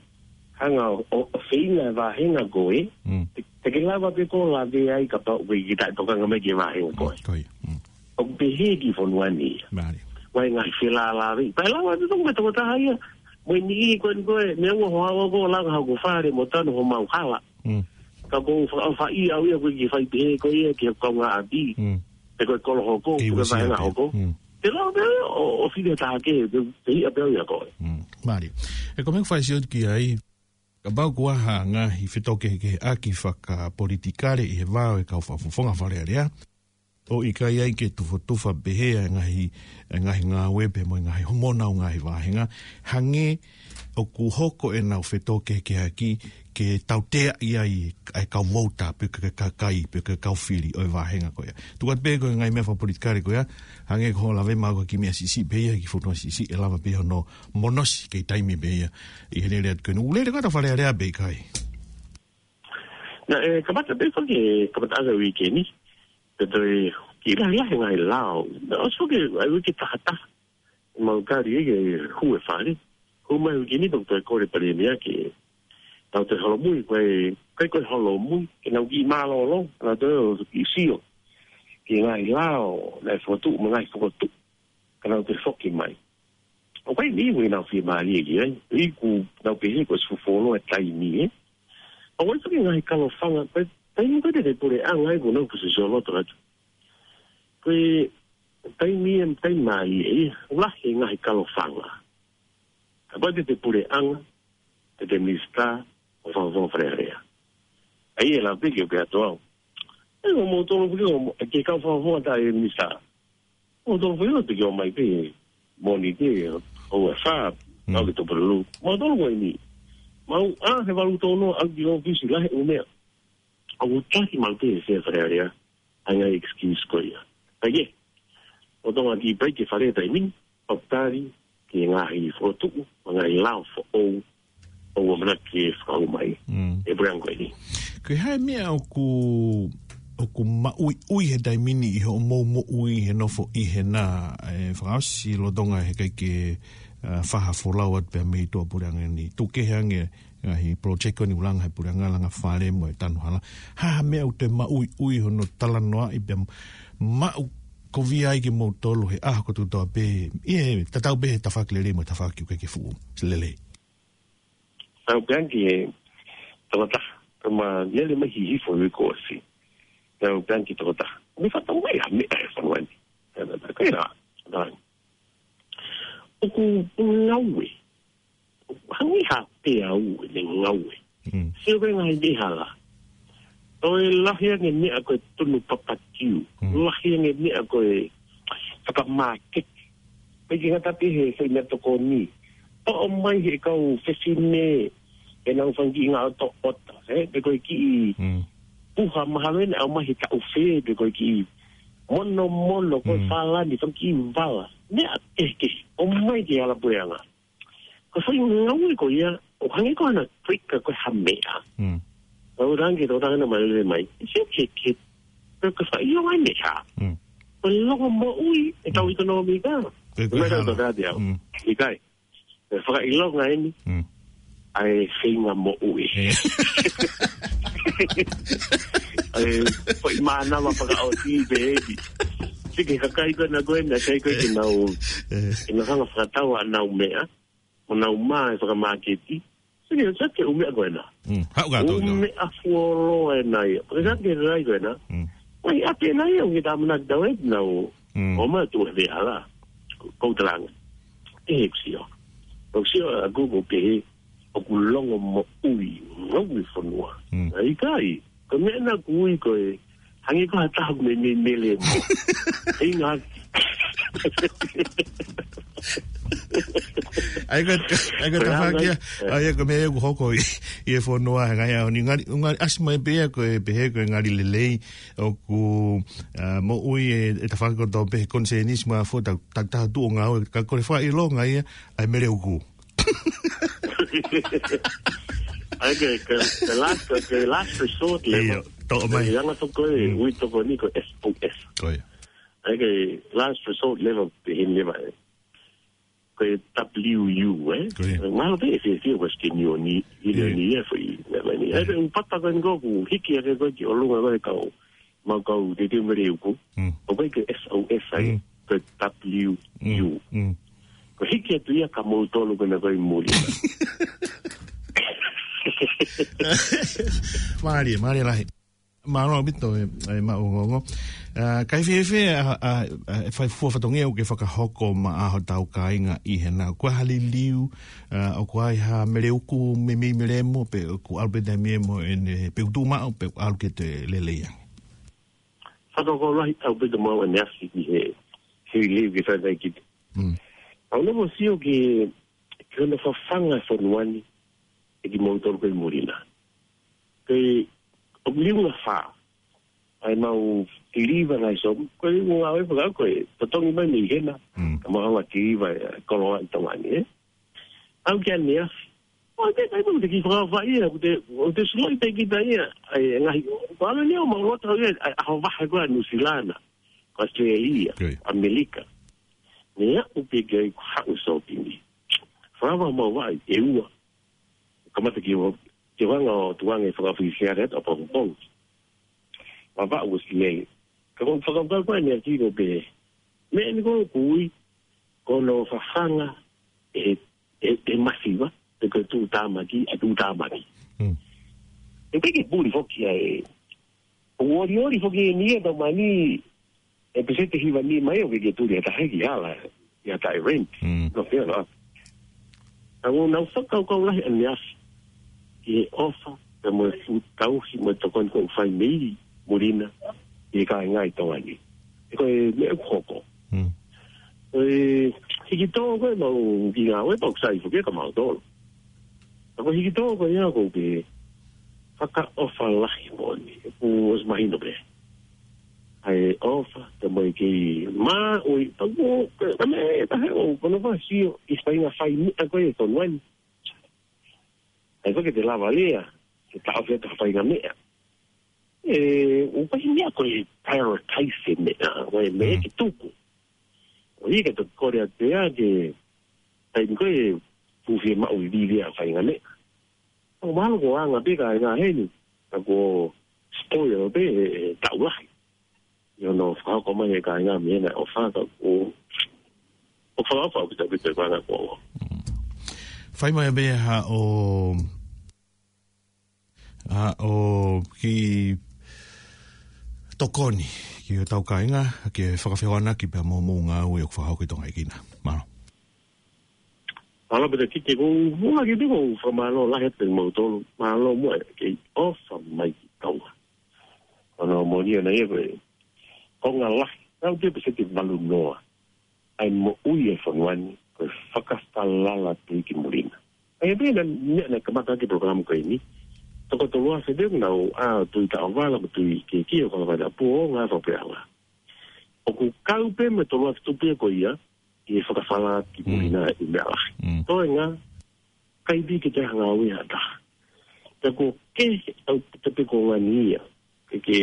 hanga ʻo, ʻo, ʻo feinga e vāhenga ko ē, Mm. te, te ke lava pē ko e lavea ai kapau ʻoku ʻikai ke taʻetokanga mai ki he vāhenga ko ē. Ko ia. Mm. ʻOku pehē ki he fonua ni. Mālie. Vai ngaahi felālāveʻi. Pea lava pē ko e tokotaha ia. Mo e niʻihi ko eni ko ē, neongo hoʻo haʻu ko ē ʻo langa hoku fale mo tanu homau hala. Mm. Ka ʻoku ou fakaʻofaʻia au ia ko e kiʻi fai pehē ko ia ki he kaungāʻapi. Mm. Pe ko e kolo hoko, Kei pe ko e uesia vāhenga pē. hoko. Mm. Te lava pē ʻo, ʻo fili ha taha kehe, pe, pe hiʻa pē au ia ko ē. Mm. Mālie. ʻE ko e meʻa ʻoku fai sio ki ai, kapau ko ha ngaahi fetōkehekeheʻaki fakapolitikale ʻi he vā ʻo e kau fakafofonga Fale Alea, ʻo ʻikai ai ke tufotufa pehē ʻa e ngaahi, ʻa e ngaahi ngāue pea mo e ngaahi homona ʻo e ngaahi vāhenga, hangē ʻoku hoko ʻenau fetōkehekeheʻaki ke tauteaʻi ai ʻa e kau vouta pe ko e kakai pe ko e kau fili ʻo e vāhenga ko ia. Tuku atu pē ko e ngaahi meʻa fakapolitikale ko ia, hangē ko hoʻo lave mai ko e kiʻi meʻa siʻisiʻi pē ia, kiʻi fonua siʻisiʻi ʻe lava pē hono monosi kei taimi pē ia. ʻI he lele atu ko eni, ʻoku lele ko ē ʻa Fale Alea pe ʻikai? Naʻe kamata pē ko e kamataʻanga e uike ni, pea toe kiʻi lahilahi e ngaahi lao. Naʻe ʻosi ko e ʻai uike tahataha. Mau kali ai ke hū e fale. Hū mai uike ni pea toe kole Palēmia ke tau toe holomui, ko e, ko e, ko e holomui, ke nau kiʻi mālōlō, nau toe ʻo kiʻi sio ki he ngaahi lao naʻe fokotuʻu mo e ngaahi fokotuʻu, ka nau toe foki mai. ʻOku ʻi ai e niʻihi ʻoku nau fiemālie ki ai. Iku nau pehē ko e sufolo e taimi, ē. ʻOku ʻi ai foki e ngaahi kalofanga, ko e taimi ko ē te te puleʻanga ai kuo nau pusi soloto atu. Ko e taimi e taimi mālie, ē. Lahi e ngaahi kalofanga. Kapau te te puleʻanga, te te minisitā, ʻo fakafofonga Fale Alea. ʻA ia ʻe lava pē ke u pehē atu au. ʻE, ko moutolu pē ke o, ke kau fakafofonga tā e minisitā. Moutolu pē ʻo te ke ō mai pē, Mōnite, ʻo e fā, Mm. ʻo ke Tupululu. Moutolu ko eni. Mau, ʻa, he valu tonu, ʻa ki ʻōfisi lahi ʻo meʻa. ʻOku taki mau pē he Fale Alea. ʻA e ngaahi excuse ko ia. Ka ʻi ai, ʻo Tonga ki pai ke fale taimi ni, ʻo tali ki he ngaahi fokotuʻu, mo e ngaahi lao foʻou, ʻoku ʻamanaki ke fakaʻau mai. Mm. ʻE puleʻanga ko eni. Ko e hā e meʻa ʻoku, ʻoku maʻuiʻui he taimi ni ʻi hoʻomou moʻui he nofo ʻi hena, ʻe fakaʻosi lolotonga he ʻikai ke, ʻa, fai ha folau atu pē mei tuʻa puleʻanga ni. Tuku kehe ange ngaahi project ko eni ʻoku langa he puleʻanga, langa fale mo e tanu hala. Hā ha meʻa ʻoku te maʻuiʻui hono talanoaʻi pea maʻu kovi ai kimoutolu he ʻaho kotoa pē. ʻI he tatau pē he tafaʻaki lelei mo e tafaʻaki ʻoku ʻikai ke fuʻu lelei. Tau pē ange ki he tokotaha, tama lele mai Hihifo ʻi he kuo ʻosi. Tau pē ange ki he tokotaha. Me fatau mai ha meʻa he fonua ni. Tau pē ange ki he tokotaha. ʻOku ngaue. Hangē ha peau ʻene ngaue. Mm. Sio ko e ngaahi meʻa hala. ʻOku lahi ange meʻa ko e tunu papakiu. Mm. Lahi ange meʻa ko e fakamāketi. Pea ʻikai ngata pē he, he meʻatokoni. ʻOmai he kau fefine ʻenau fanga kiʻi ngaʻotoʻota. Ē, pe ko e kiʻi Mm. puha mahalo ʻena ʻomai he taʻu fē, pe ko e kiʻi monomono, ko e Mm. falani, fanga kiʻi vala. Meʻa kehekehe. ʻOmai ki he hala puleʻanga. Ko e foʻi ngaue ko ia, ʻoku hangē ko hana trigger ko e ha meʻa. Mm. Tau pē ange ki he tokotaha naʻa ma lele mai. Sio ki he, ki he, ko e fakaʻilonga e meʻa. Mm. Ko e longomoʻui ʻetau Mm. ʻekonōmika. Ko e, ko e Meʻa hala. Tau tau tau. Mm. ʻIkai. Ko e fakaʻilonga eni. Mm. ʻA e feinga moʻui. Ē. ʻA e foʻi mānava fakaʻosi pē eni. Sio ki he kakai ko ena ko ena, kakai ko ē ke nau, Ē. ke nau hanga fakatau ʻenau meʻa. Mo nau mā e fakamāketi. Sio ki he, sio ki he ʻū meʻa ko ena. Mm, haʻu ka tau ʻū meʻa fuoloa ena ia. Ko e sio ki he rai ko ena. Mm. Mai ʻapi ena ia, ʻoku ke tāmanaki tau e nau. Mm. ʻOmai atu he veʻe hala. Ko, ko u talanga. ʻE he kusio. Ko u sio a Google pehē, ʻoku longomoʻui, ngaue fonua. Mm. ʻA ʻikai. Ko e meʻa naʻa ku ui ko e, hangē ko ha taha ʻoku meimei mele mo. Hei ngā. ʻAi ko, ʻai ko Ko e tafaʻaki ʻa, ʻai ko e meʻa ʻoku hoko ʻi, ʻi he fonua he ngaahi ʻaho ni. Ngali, ngali ʻasi mai pē ia ko e pehē ko e ngali lelei ʻoku, ʻa, moʻui e, e tafaʻaki kotoa pē he konisēnisi mo e fo, ta, ta, ta tuʻu ʻo ngāue, ka ko e fakaʻilonga ia, ʻai mele uku. ʻAi ke, ke, ke last, ke last resort level. Ia, toʻo mai. Ke anga toko e, Mm. ui toko ni ko S O S. Ko ia. ʻAi ke last resort level, pehē ni mai. Ko e W U, ē? Ko ia. Mahalo pē ʻe fēfē Western Union, Union Ia. Ia foʻi, meʻa mai ni. Ia. ʻAi ke u pata ko eni ko u hiki ake ko e ki ʻolunga ko e kau. Mau kau te te mele uku. Mm. ʻOku ʻikai ke S O S ai, Mm. ko W U. Mm. Mm. Ko e hiki atu ia ka moutolu ko ena ko e muli. Mālie, mālie lahi. Mālō ʻaupito e, e maʻu ongoongo. ʻA, kae fēfē, ʻa, ʻa, ʻa, e fai fua fatongia ʻoku ke fakahoko maʻa hotau kāinga ʻi hena. Ko e hā ha liliu, ʻa, ʻoku ʻi ai ha mele uku meimei mele mo, pe ʻoku ʻalu pē taimi ē mo ʻene, pe ʻoku tuʻu maʻu, pe ʻoku ʻalu ke toe lelei ange. Fakahoko lahi ʻaupito maʻu ʻaneafi ki he, he liliu ke fai mai ki te. Mm. ʻOku ou nofo ʻo sio ki, ki hono fafanga e fonua ni, ʻe kimoutolu ko e muli na. Ko e, ʻoku liunga fā. ʻAi mau tiliva ngai som, ko e liunga ngāue fakaʻau ko e, totongi mai mei hena. Mm. Ka mau hanga tiliva e, koloa ʻi Tonga ni, ē. ʻAu ki ʻaneafi. ʻO te kai mo te kiʻi fakavaʻe ia, ʻoku te, ʻoku te suloʻi pē kita ia, ʻai, e ngaahi, ʻo ʻalu ni ʻo mau loto ia, ʻai, ʻaho vahe ko ē ʻa Nuʻusila na, ko ʻAositelēlia, Ko ia. ʻAmelika. Meʻa ʻoku pehē ki ai ko haʻu sōpini. Fakava mau vaʻe, ʻe ua. Kamata ki ua, ki vanga ʻo tuange fakaʻosi siare atu ʻa Pongipongi. Vava ua silei. Ka ko fakava ko ʻaneafi ko pē. Meʻa ni ko ʻoku ui, ko hono fafanga, ʻe, ʻe, ʻe masiva, pe ko e tuʻutāmaki, ʻa e tuʻutāmaki. Mm. ʻE ʻikai ke puli foki ia ʻe, ʻo olioli foki eni ia tau mani, ʻe peseti hiva ni mai ʻo ke ke tuli ʻe taha ki hala, ia taʻe rent. Mm. No fair enough. Ka ʻoku nau fakakaukau lahi ʻaneafi ki he ʻofa, pea mo e fuʻu tauhi mo e tokoni ʻoku fai mei muli na, ʻi he kāinga ʻi Tonga ni. ʻE ko e meʻa ʻoku hoko. Mm. Ko e hiki tō ko ē mau ki ngāue pau sai foki ka mau tolo. Ka ko e hiki tō ko ia ʻoku ke fakaʻofa lahi moʻoni. ʻOku ʻosi mahino pē. ʻA e ʻofa, te mo e kei mā, ʻoi, pau ko, ka me, ka he o, kono fa sio, ʻi fainga fai meʻa ko e tonu ani. ʻA ia ko ke te lava lea, ke taʻofi atu ha fainga meʻa. ʻE, ʻoku ʻikai meʻa ko e prioritize e meʻa, ko e meʻa Mm. ke tuku. ʻO ia ke toki kole atu ia ke, taimi ko e fuʻu fiemaʻu vivivi ʻa e fainga meʻa. ʻO mahalo ko e anga pē kāinga heni, ka ko e spoil pē, ʻe, ʻe taʻu lahi. ʻI hono fakahoko mai e kāinga mei hena ʻofa ka ʻoku, ʻoku fakaʻofa ʻaupito ʻaupito e kāinga ko ē. Fai mai pē haʻo, haʻo kiʻi tokoni ki hotau kāinga, ke fakafehoanaki pea mo hoʻomou ngāue ʻoku fakahoko ʻi Tonga ʻi Kina. Mālō. Mālō pē te kite ko, mua ki te ko, fakamālō lahi atu kimautolu. Mālō muʻa e kei ʻofa mai ki Tonga. Ko hono moʻoni ʻona ia ko e konga lahi, tau te peseti valu noa. ʻA e moʻui e fonua ni, ko e fakafalala atu ki muli na. ʻA ia pē naʻe, naʻe, naʻe kamata ʻaki e polokalama ko eni. Toko tolu afe pē naʻa nau ʻā ʻo tui taʻovala, mo tui kehekehe ʻo kau ʻi Vaitapu ʻo ngāue fakapuleʻanga. ʻOku kau pē mo e tolu afe tupu ia ko ia, ʻi he fakafalala ki muli Mm. na ʻi meʻa lahi. Mm. Toenga, ʻikai pē ke te hanga ʻo ʻi ai ha taha. Pea ko e ke au te pe ko ngani ia. Ke, ke,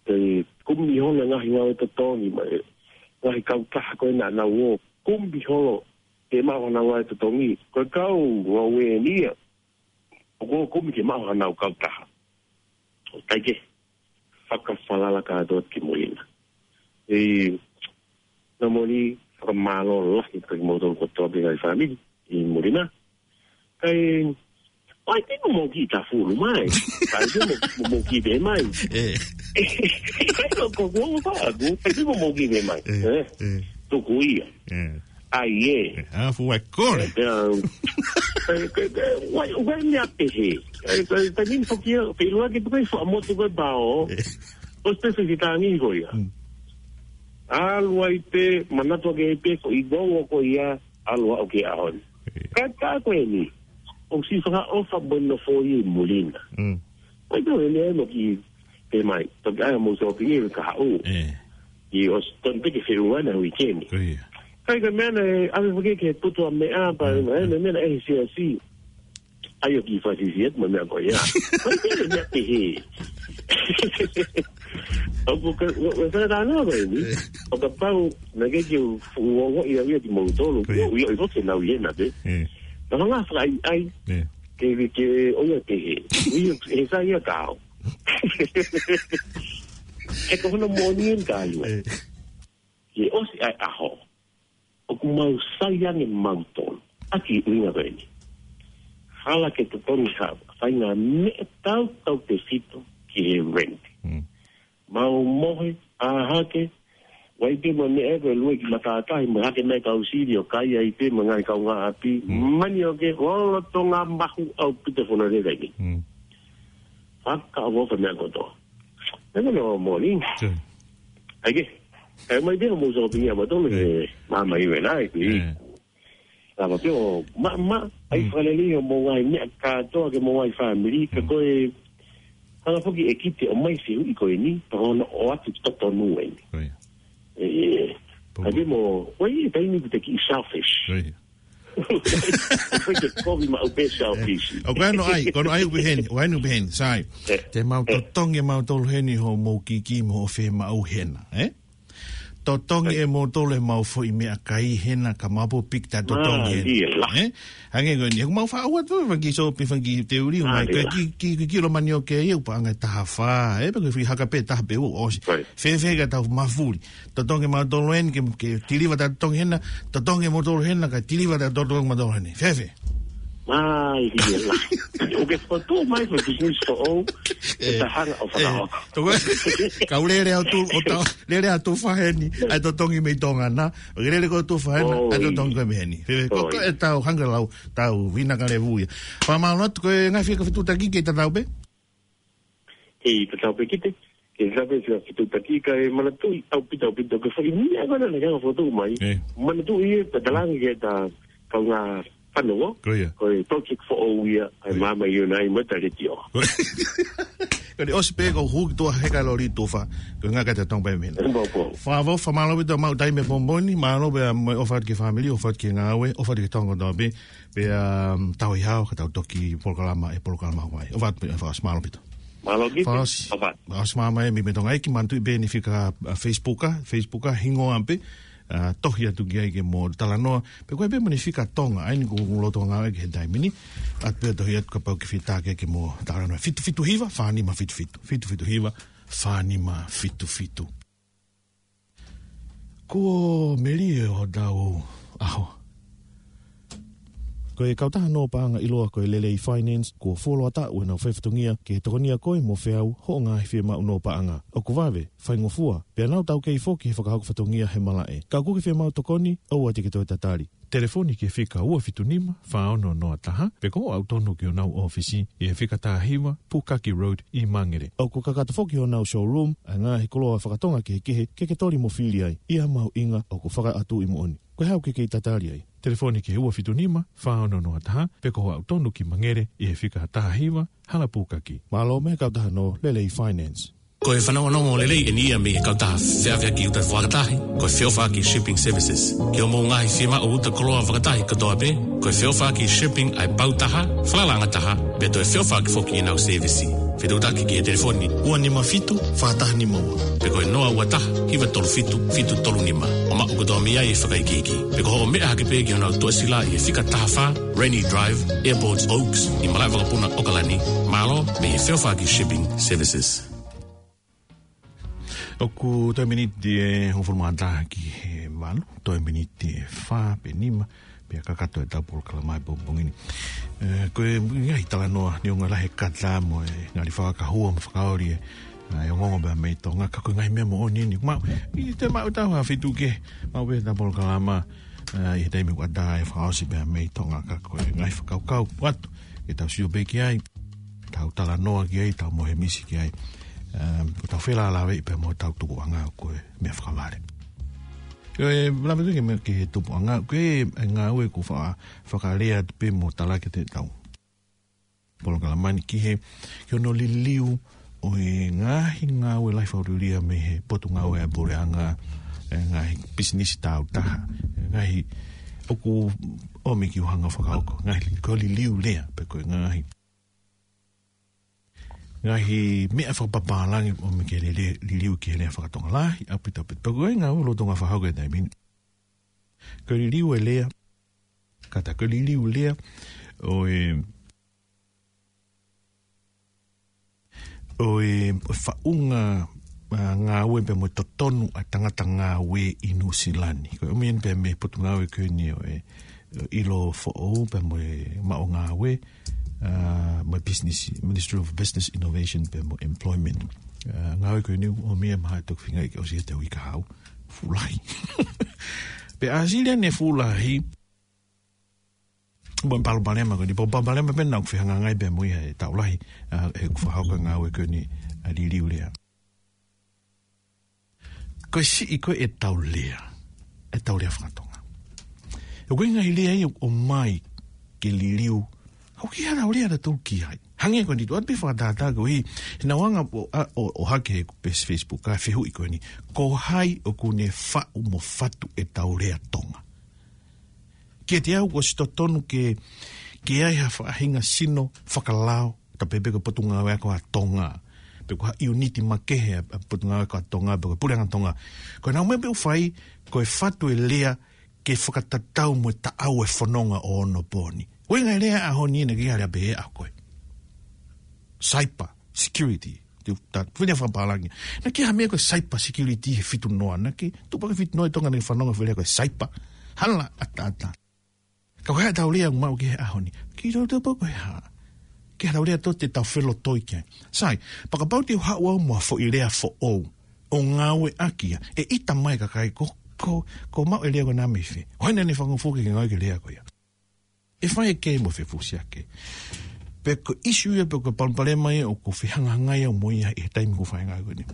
ke kumi holo ngaahi ngāue totongi mai. Ngaahi kautaha ko ē naʻa nau ō kumi holo ke maʻu hana ngāue totongi. Ko e kau ngāue ni ia. ʻOku kumi ke maʻu hana kautaha. ʻIkai ke fakafalala kātoa ki muli na. ʻE, naʻa moli fakamālō lahi kimautolu kotoa pē ngaahi fāmili ʻi muli na. Kai, ʻai te mo moki ta fulu mai. Kai te mo, mo moki pē mai. ʻE. Kai ko ko ko fa ko, kai te mo moki pē mai. ʻE, ʻE? ʻE. Tuku ia. ʻE. ʻAi ē. ʻE, a fu ai kole. ʻE, ʻe, ʻe, ʻe, wai, wai mea pehē. ʻE, ʻe, ʻe, min foki ia, pe lua ke tukai fa motu ko bao. ʻE. ʻOsi te se tangi ko ia. Mm. ʻAlu ai pē, manatu ake pē, ko i gou ko ia, ʻalu aʻu ki he ʻaho ni. ʻE. Ka, ka ko eni, ʻosi fakaʻofa mo e nofo ʻi muli na. Mm. Wai tō eni ai mo ki te mai, toki ai mo shopping ʻi ka haʻu. ʻE. ʻI ʻosi tonu pē ke feʻunga na weekend. Ko ia. Kai ka meʻa na ʻe, ʻave fake ke putu a meʻa, pa, Mm. ʻe, meʻa, meʻa na ʻe siasi. ʻAi ʻo ki fasi siet, mo e meʻa ko ia. Wai tō eni meʻa pehē. ʻOku ka, ʻo, ʻo, ka, ka, na, ko eni. ʻE. ʻO kapau, naʻe ʻikai ke u, u, u, ʻi ai ia kimautolu. Ko ia. U, u, u, u, ke nau ʻi hena pē. ʻE. Na hanga fakaʻaiʻai. ʻE. Ke, ke, ke, ʻo ia pehē. U, u, he sa ia kao. He ko hono moʻoni eni ka ʻiua. ʻE. Ke ʻosi ai ʻaho. ʻOku mau sai ange mautolu. ʻAki ʻuhinga ko eni. Hala ke totongi ha, fainga meʻa tau tau te fito ki he rent. Mm. Mau mohe, ʻā hake, wai pē mo meʻa ko e lue ki matātahi, mo hake mai kau sili ʻo kai ai pē mo ngaahi kaungāʻapi, Mm. mani ʻo ke, lolotonga mahu ʻaupito fono lele ni. Mm. Fakaʻofoʻofa meʻa kotoa. Meʻa ko no morning. Sure. ʻAi ke, ʻai mai pē mo shopping ia mautolu, ʻE. he, mama iwe nai, kui. ʻE. Lava pē ʻo, ma, ma, ʻai Mm. fakalelei ʻo mo ngaahi meʻa kātoa ke mo ngaahi fāmili, ka Mm. ko e, hanga foki e kite ʻo mai se ui ko eni, pa hono ʻoatu totonu eni. Ko ia. ʻE, Pau. ʻai pē mo, ʻoi, taimi ʻoku te kiʻi selfish. Ko ia. ʻOku te kovi maʻu pē selfish. ʻE, ʻoku ʻi ai hono ʻai, ko hono ʻai ʻoku peheni, ʻoku ʻi ai hono peheni, sai. ʻE. Te mau ʻE. totongi mautolu heni hoʻomou kiki mo hoʻo fiemaʻu hena, ē? Totongi ʻe moutolu ʻemau foʻi meʻakai hena ka mau pō piki ta totongi hena. Mālie lahi. Eh? Hangē ko eni, ʻoku mau faʻa ʻoatu fanga kiʻi sōpi, fanga kiʻi teuli, ʻomai, mālie lahi, ki, ki, ki, ki lo mani o ke ia, ʻoku paʻanga ʻe taha fā, eh, pe ko e foʻi haka pē taha pe ua ʻosi. Right. Fēfē ka tau mafuli. Totongi mautolu eni, ke, ke tiliva ta totongi hena, totongi moutolu hena, ka tiliva ta totongi mautolu hena. Fēfē? Mālie lahi. ʻOku ke fokotuʻu mai ko e business foʻou, ʻe, eh, ta hanga ʻo, eh, fakaʻofa. Toko, kau lele atu, ʻo tau, lele atu faheni, ʻai totongi mei Tonga na. ʻOku lele ko atu fahena, ʻai totongi ko mei heni. Fēfē, ko, ko e tau hanga lau, tau vina ka levu ia. Fakamālō atu, ko e ngaahi fika fetuʻutaki ke tatau pē? Hei, tatau pē kite. Ke tatau pē fika fetuʻutaki ka e manatuʻi ʻaupito, ʻaupito, ke foʻi meʻa ko ena naʻa ke fokotuʻu mai. Eh. Manatuʻi e, pea talaange ke ta kaungā fanongo. Ko ia. Ko e project foʻou ia, ʻa e, ko ia, Māmani ʻOnai mo e Taletio. Ko eni ʻosi pē ko huki tua heka loli tufa. Ko e ngaka te tong pai mena. Mo po. Fāvou, fakamālō ʻaupito mau taimi he pō ni, mālō pē mo e ʻofa atu ki he fāmili, ʻofa atu ki he ngāue, ʻofa atu ki he Tonga kotoa pē. Pea, um, tau ʻi hao, ka tau toki polokalama, ʻe polokalama wai. ʻOfa atu pē, ʻofa atu, mālō ʻaupito. Mālō ki te. Fakaʻosi. ʻOfa atu. Fakaʻosi māmani mei, mei Tonga ʻEiki, manatuʻi pē ʻeni fika, uh, Facebook, Facebook, hingoa pē, uh, tohi atu ki ai ke mo talanoa. Pe ko e pē mo ʻeni fika Tonga, ʻa eni ʻoku loto ngāue ki he taimi ni. ʻAtu pē tohi atu kapau ke fita ke, ke mo talanoa. Fitu fitu hiva, fā nima fitu fitu. Fitu fitu hiva, fā nima fitu fitu. Kuo melie hotau ʻaho. Ko e kautaha nō paʻanga ʻiloa ko e Lelei Finance, kuo fuoloa taʻu ʻenau faifatongia ke tokonia koe mo feau hoʻo ngaahi fiemaʻu nō paʻanga. ʻOku vave, faingofua, pea nau taukei foki he fakahoko fatongia he malaʻe. Ka ʻoku ke fiemaʻu tokoni, ʻoua te ke toe tatali. Telefoni ki he fika ua fitu nima, fā ono noa taha, pe ko hoʻo aʻu tonu ki honau ʻōfisi ʻi he fika taha hiva, Pukaki Road ʻi Mangere. ʻOku kakato foki honau showroom ʻa e ngaahi koloa fakatonga kehekehe ke ke toli mo fili ai, ʻi ha mahuʻinga ʻoku fakaʻatuʻi moʻoni. Ko e hā ʻoku ke kei tatali ai? Telefoni ki he ua fitu nima, fā ono noa taha, pe ko hoʻo aʻu tonu ki Mangere ʻi he fika taha hiva, Hala Pukaki. Mālō mei he kautaha nō Lelei Finance. Ko e fanongonongo lelei ʻeni ia mei he kautaha feʻaveʻaki uta fakatahi, ko e Feʻofaʻaki Shipping Services. Ki hoʻomou ngaahi fiemaʻu uta koloa fakatahi kotoa pē, ko e Feʻofaʻaki Shipping ʻa e pau taha, falalaʻanga taha, pea toe feʻofaʻaki foki ʻenau sēvisi. Fetuʻutaki ki he telefoni ua nima fitu, fā taha nima ua. Pe ko e noa ua taha, hiva tolu fitu, fitu tolu nima. ʻO maʻu kotoa mei ai e fakaikiiki. Pe ko hoʻo meʻa hake pē ki honau tuʻasila ʻi he fika taha fā, Rennie Drive, Airport Oaks, ʻi malaʻe vakapuna ʻAokalani. Mālō mei he Feʻofaʻaki Shipping Services. ʻOku toe miniti ʻe hongofulu mā taha ki he valu, toe miniti ʻe fā pe nima, pea kakato ʻetau polokalama he pongipongi ni. Eh, ko e ngaahi talanoa neongo lahi e kata mo e ngali fakakahua mo fakaoli e, ah, e ongoongo pea mei Tonga, ka ko e ngaahi meʻa moʻoni ʻeni. Mau, ʻi he maʻu ʻetau ha fitu ke, maʻu pē ʻetau polokalama, ah, ʻi he taimi ʻoku ʻatā e fakaʻosi pea mei Tonga, ka ko e ngaahi fakakaukau atu ke tau sio pē ki ai, tau talanoa ki ai, tau mohe misi ki ai. Um, ko ʻetau felālāveʻi pea mo ʻetau tupuʻanga ko e meʻa fakavale. Ko e lave ki he meʻa ki he tupuʻanga, ko e ngāue ʻoku fa-, fakalea atu pē mo talaki ʻetau polokalama ni ki he, ki hono liliu ʻo e ngaahi ngāue lahi fakauliulia mei he Potungāue ʻa e Puleʻanga, e ngaahi pisinisi tāutaha, e ngaahi ʻoku ʻomi ki ʻuhinga fakahoko, ngaahi ko e liliu lea, pe ko e ngaahi, ngaahi meʻa fakapapālangi ʻomi ke lele-, liliu ki he lea fakatonga lahi, ʻaupito, ʻaupito. Pe ko e ngaahi lolotonga fakahoko e taimi ni. Ko e liliu e lea, kātaki ko e liliu lea ʻo e, ʻo e, ʻo e faʻunga, ah, ngāue pea mo e totonu ʻa e tangata ngāue ʻi Nuʻusila ni. Ko e ʻomi eni pea mei he Potungāue ko eni ʻo e, ʻo e ʻIlo Foʻou pea mo e Maʻu Ngāue, ah, mo e Business, Ministry of Business Innovation pea mo Employment. Ah, ngāue ko eni ʻomi e maha toki finga i ke ʻosi he te ui ka hau. Fuʻu lahi. Pea ʻāsili ʻene fuʻu lahi, mo e palopalema ko eni, palopalema pē naʻa ku fehangahangai pea mo ia he taʻu lahi, ah, he ʻoku fakahoko e ngāue ko eni, ah, liliu lea. Ko e siʻi ko e ʻetau lea, ʻetau lea fakatonga. ʻOku ʻi ai e ngaahi lea ia ʻoku ʻomai ke liliu, ʻoku ʻikai ha tau lea naʻa tau ki ai. Hangē ko eni tuʻu atu pē fakatātā ko ē, he naʻa ku anga ʻo, ʻo, ʻo hake he page Facebook, ʻa e fehuʻi ko eni. Ko hai ʻoku ne faʻu mo fatu ʻetau lea Tonga? Kiate au ʻoku ʻosi totonu ke, ke ʻi ai ha faʻahinga sino fakalao, ta pehē pē ko e Potungāue Ako ʻa Tonga. pe ko ha ʻiuniti makehe ʻa, ʻa Potungāue Faka-Tonga, pe ko e Puleʻanga Tonga. Ko ʻenau meʻa pē ʻoku fai, ko e fatu e lea ke fakatatau mo e taʻau e fononga ʻo onopooni. Ko e ngaahi lea ʻaho ni naʻe ʻikai ha lea pehē ʻaʻau ko e cyber security. Te u ta, fine fakapālangi. Naʻe ʻikai ha meʻa ko e cyber security he fitu noa. Naʻe ʻikai, tupu hake fitu noa ʻi Tonga naʻe fanongo he lea ko e cyber. Hala ʻataʻatā. Ka ko e hā ʻetau lea ʻoku maʻu ki he ʻaho ni? Kiʻi tautau pē ko e hā. Ke hā ʻetau lea tō te tau felotoi ki ai. Sai, pea kapau te u haʻu au mo ha foʻi lea foʻou ʻo ngāueʻaki ia, ʻe ʻita mai e kakai ko, ko, ko e maʻu e lea ko ena mei fē. ʻO hangē naʻe fakafoki ke ngāue ki he lea ko ia. ʻE fai e kē mo fefusiake. Pe ko e ʻisiū ia, pe ko e palopalema ia ʻoku fehangahangai au mo ia ʻi he taimi ʻoku ou fai e ngāue ko eni.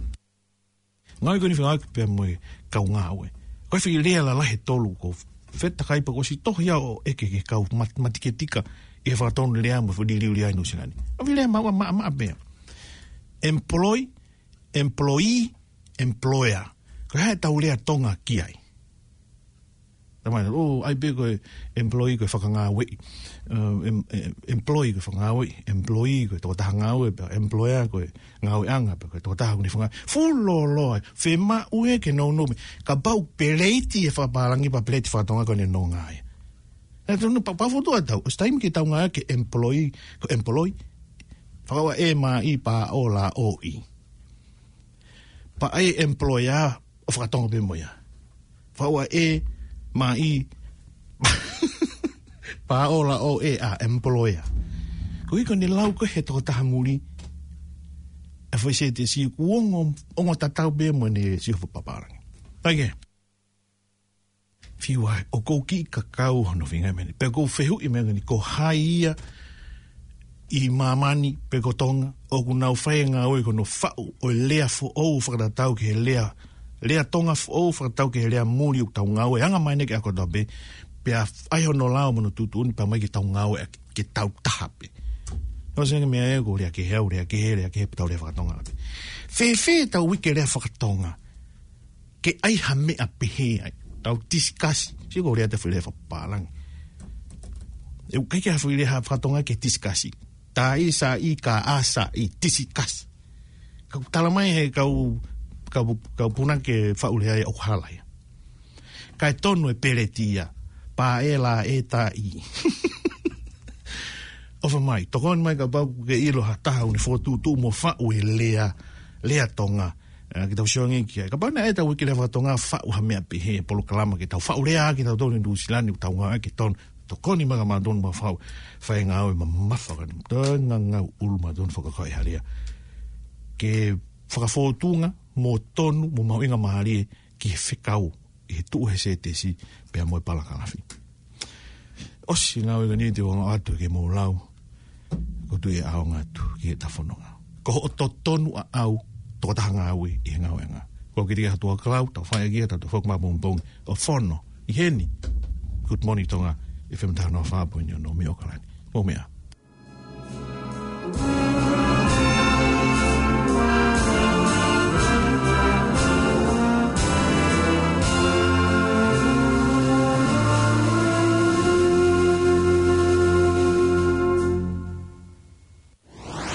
Ngāue ko eni fengāueʻaki pea mo e kau ngāue. Ko e foʻi lea lalahi ʻe tolu ʻoku ou fetakai pea kuo ʻosi tohi au ʻo ʻeke ki he kau mat-, matiketika ʻi he fakatonu lea mo e foʻi liliu lea ʻi Nuʻu Sila ni. ʻA e foʻi lea maʻu maʻamaʻa pē. Employ, employee, employer. Ko e hā ʻetau lea Tonga ki ai? Tamai, ʻo, ʻai pē ko e employee ko e fakangāueʻi. Uh, em-, em-, employee ko e fakangāueʻi, employee ko e tokotaha ngāue, pea employer ko e ngāueʻanga, pea ko e tokotaha ʻoku ne fakangāueʻi. Fuʻu lōloa, fiemaʻu ia ke nounou pē. Kapau peleiti e fakapālangi pea peleiti faka-Tonga ko ʻene nonga ia. Naʻe tonu pea, pea fotu ʻa tau, ʻosi taimi ke tau ngāueʻaki e employee, ko e employee. Fakaʻuhinga e M E pea ʻo la o i. Pea ʻai e employer ʻo faka-Tonga pē mo ia. Fakaʻuhinga e M E pea ʻo la o e a, employer. Ko e ʻuhi ko ʻene lau ko ē he tokotaha muli, ʻa e foʻi sētesi ʻoku ongo, ongo tatau pē mo ʻene sio fakapālangi. Pea ke fiu ai, ʻoku ou kiʻi kakau hono feinga meni. Pea ʻoku ou fehuʻi mei heni, ko hai ia ʻi māmani pe ko Tonga ʻoku nau fai e ngāue ko hono faʻu ʻo e lea foʻou fakatatau ki he lea, lea Tonga foʻou fakatatau ki he lea muli ʻoku tau ngāueʻanga mai ʻanenai ki he ako tape, pea ʻai hono lao mo hono tuʻutuʻuni pea mai ke tau ngāueʻaki, ke tau taha pē. ʻOsi ange meʻa ē, ko e lea kehe au, lea kehe, lea kehe, pea tau lea faka-Tonga pē. Fēfē ʻetau uike lea faka-Tonga ke ʻai ha meʻa pehē ai. Tau tisikasi. Sio ko e lea ʻa e foʻi lea fakapālangi. ʻE ʻikai ke ha foʻi lea faka-Tonga ke tisikasi. Taʻi, saʻi, kaʻa, saʻi, tisikasi. Kau tala mai he kau, kau, kau punake faʻu lea ia ʻoku hala ia. Kae tonu e peleiti ia. Pea ʻe la e taʻi. ʻOfa mai, tokoni mai kapau ʻoku ke ʻilo ha taha ʻoku ne fokotuʻutuʻu mo faʻu e lea, lea Tonga. Ē, ke tau sio ange ki ai. Kapau naʻe ʻai ʻetau uike lea faka-Tonga faʻu ha meʻa pehē, polokalama ke tau faʻu lea, ke tau tonu ʻi Nuʻu Sila ni, tau ngāueʻaki tonu. Tokoni mai kia mautolu mo faʻu, fai e ngāue mamafa ka ni. Tau ngangau ʻulu mautolu fakakaukau ʻi ha lea. Ke fakafōtunga, mo tonu, mo mahuʻinga mālie, ki he fekau, ʻi he tuʻu he sētesi, pea mo e palakalafi. ʻOsi ngāue ko eni te u ʻoatu ke mou lau, ʻoku ou tui ʻe ʻaonga atu ki heʻeta fononga. Ko hoʻo totonu ʻaʻau, tokotaha ngāue ʻi he ngāueʻanga. Ko e kiʻi ʻatu ʻa e kau, tau fai ʻaki ia, tau toe foki mai pongipongi, ʻo fono, ʻi heni. Good Morning Tonga, F M taha noa fā poini ono mei ʻAokalani. Mou meʻa.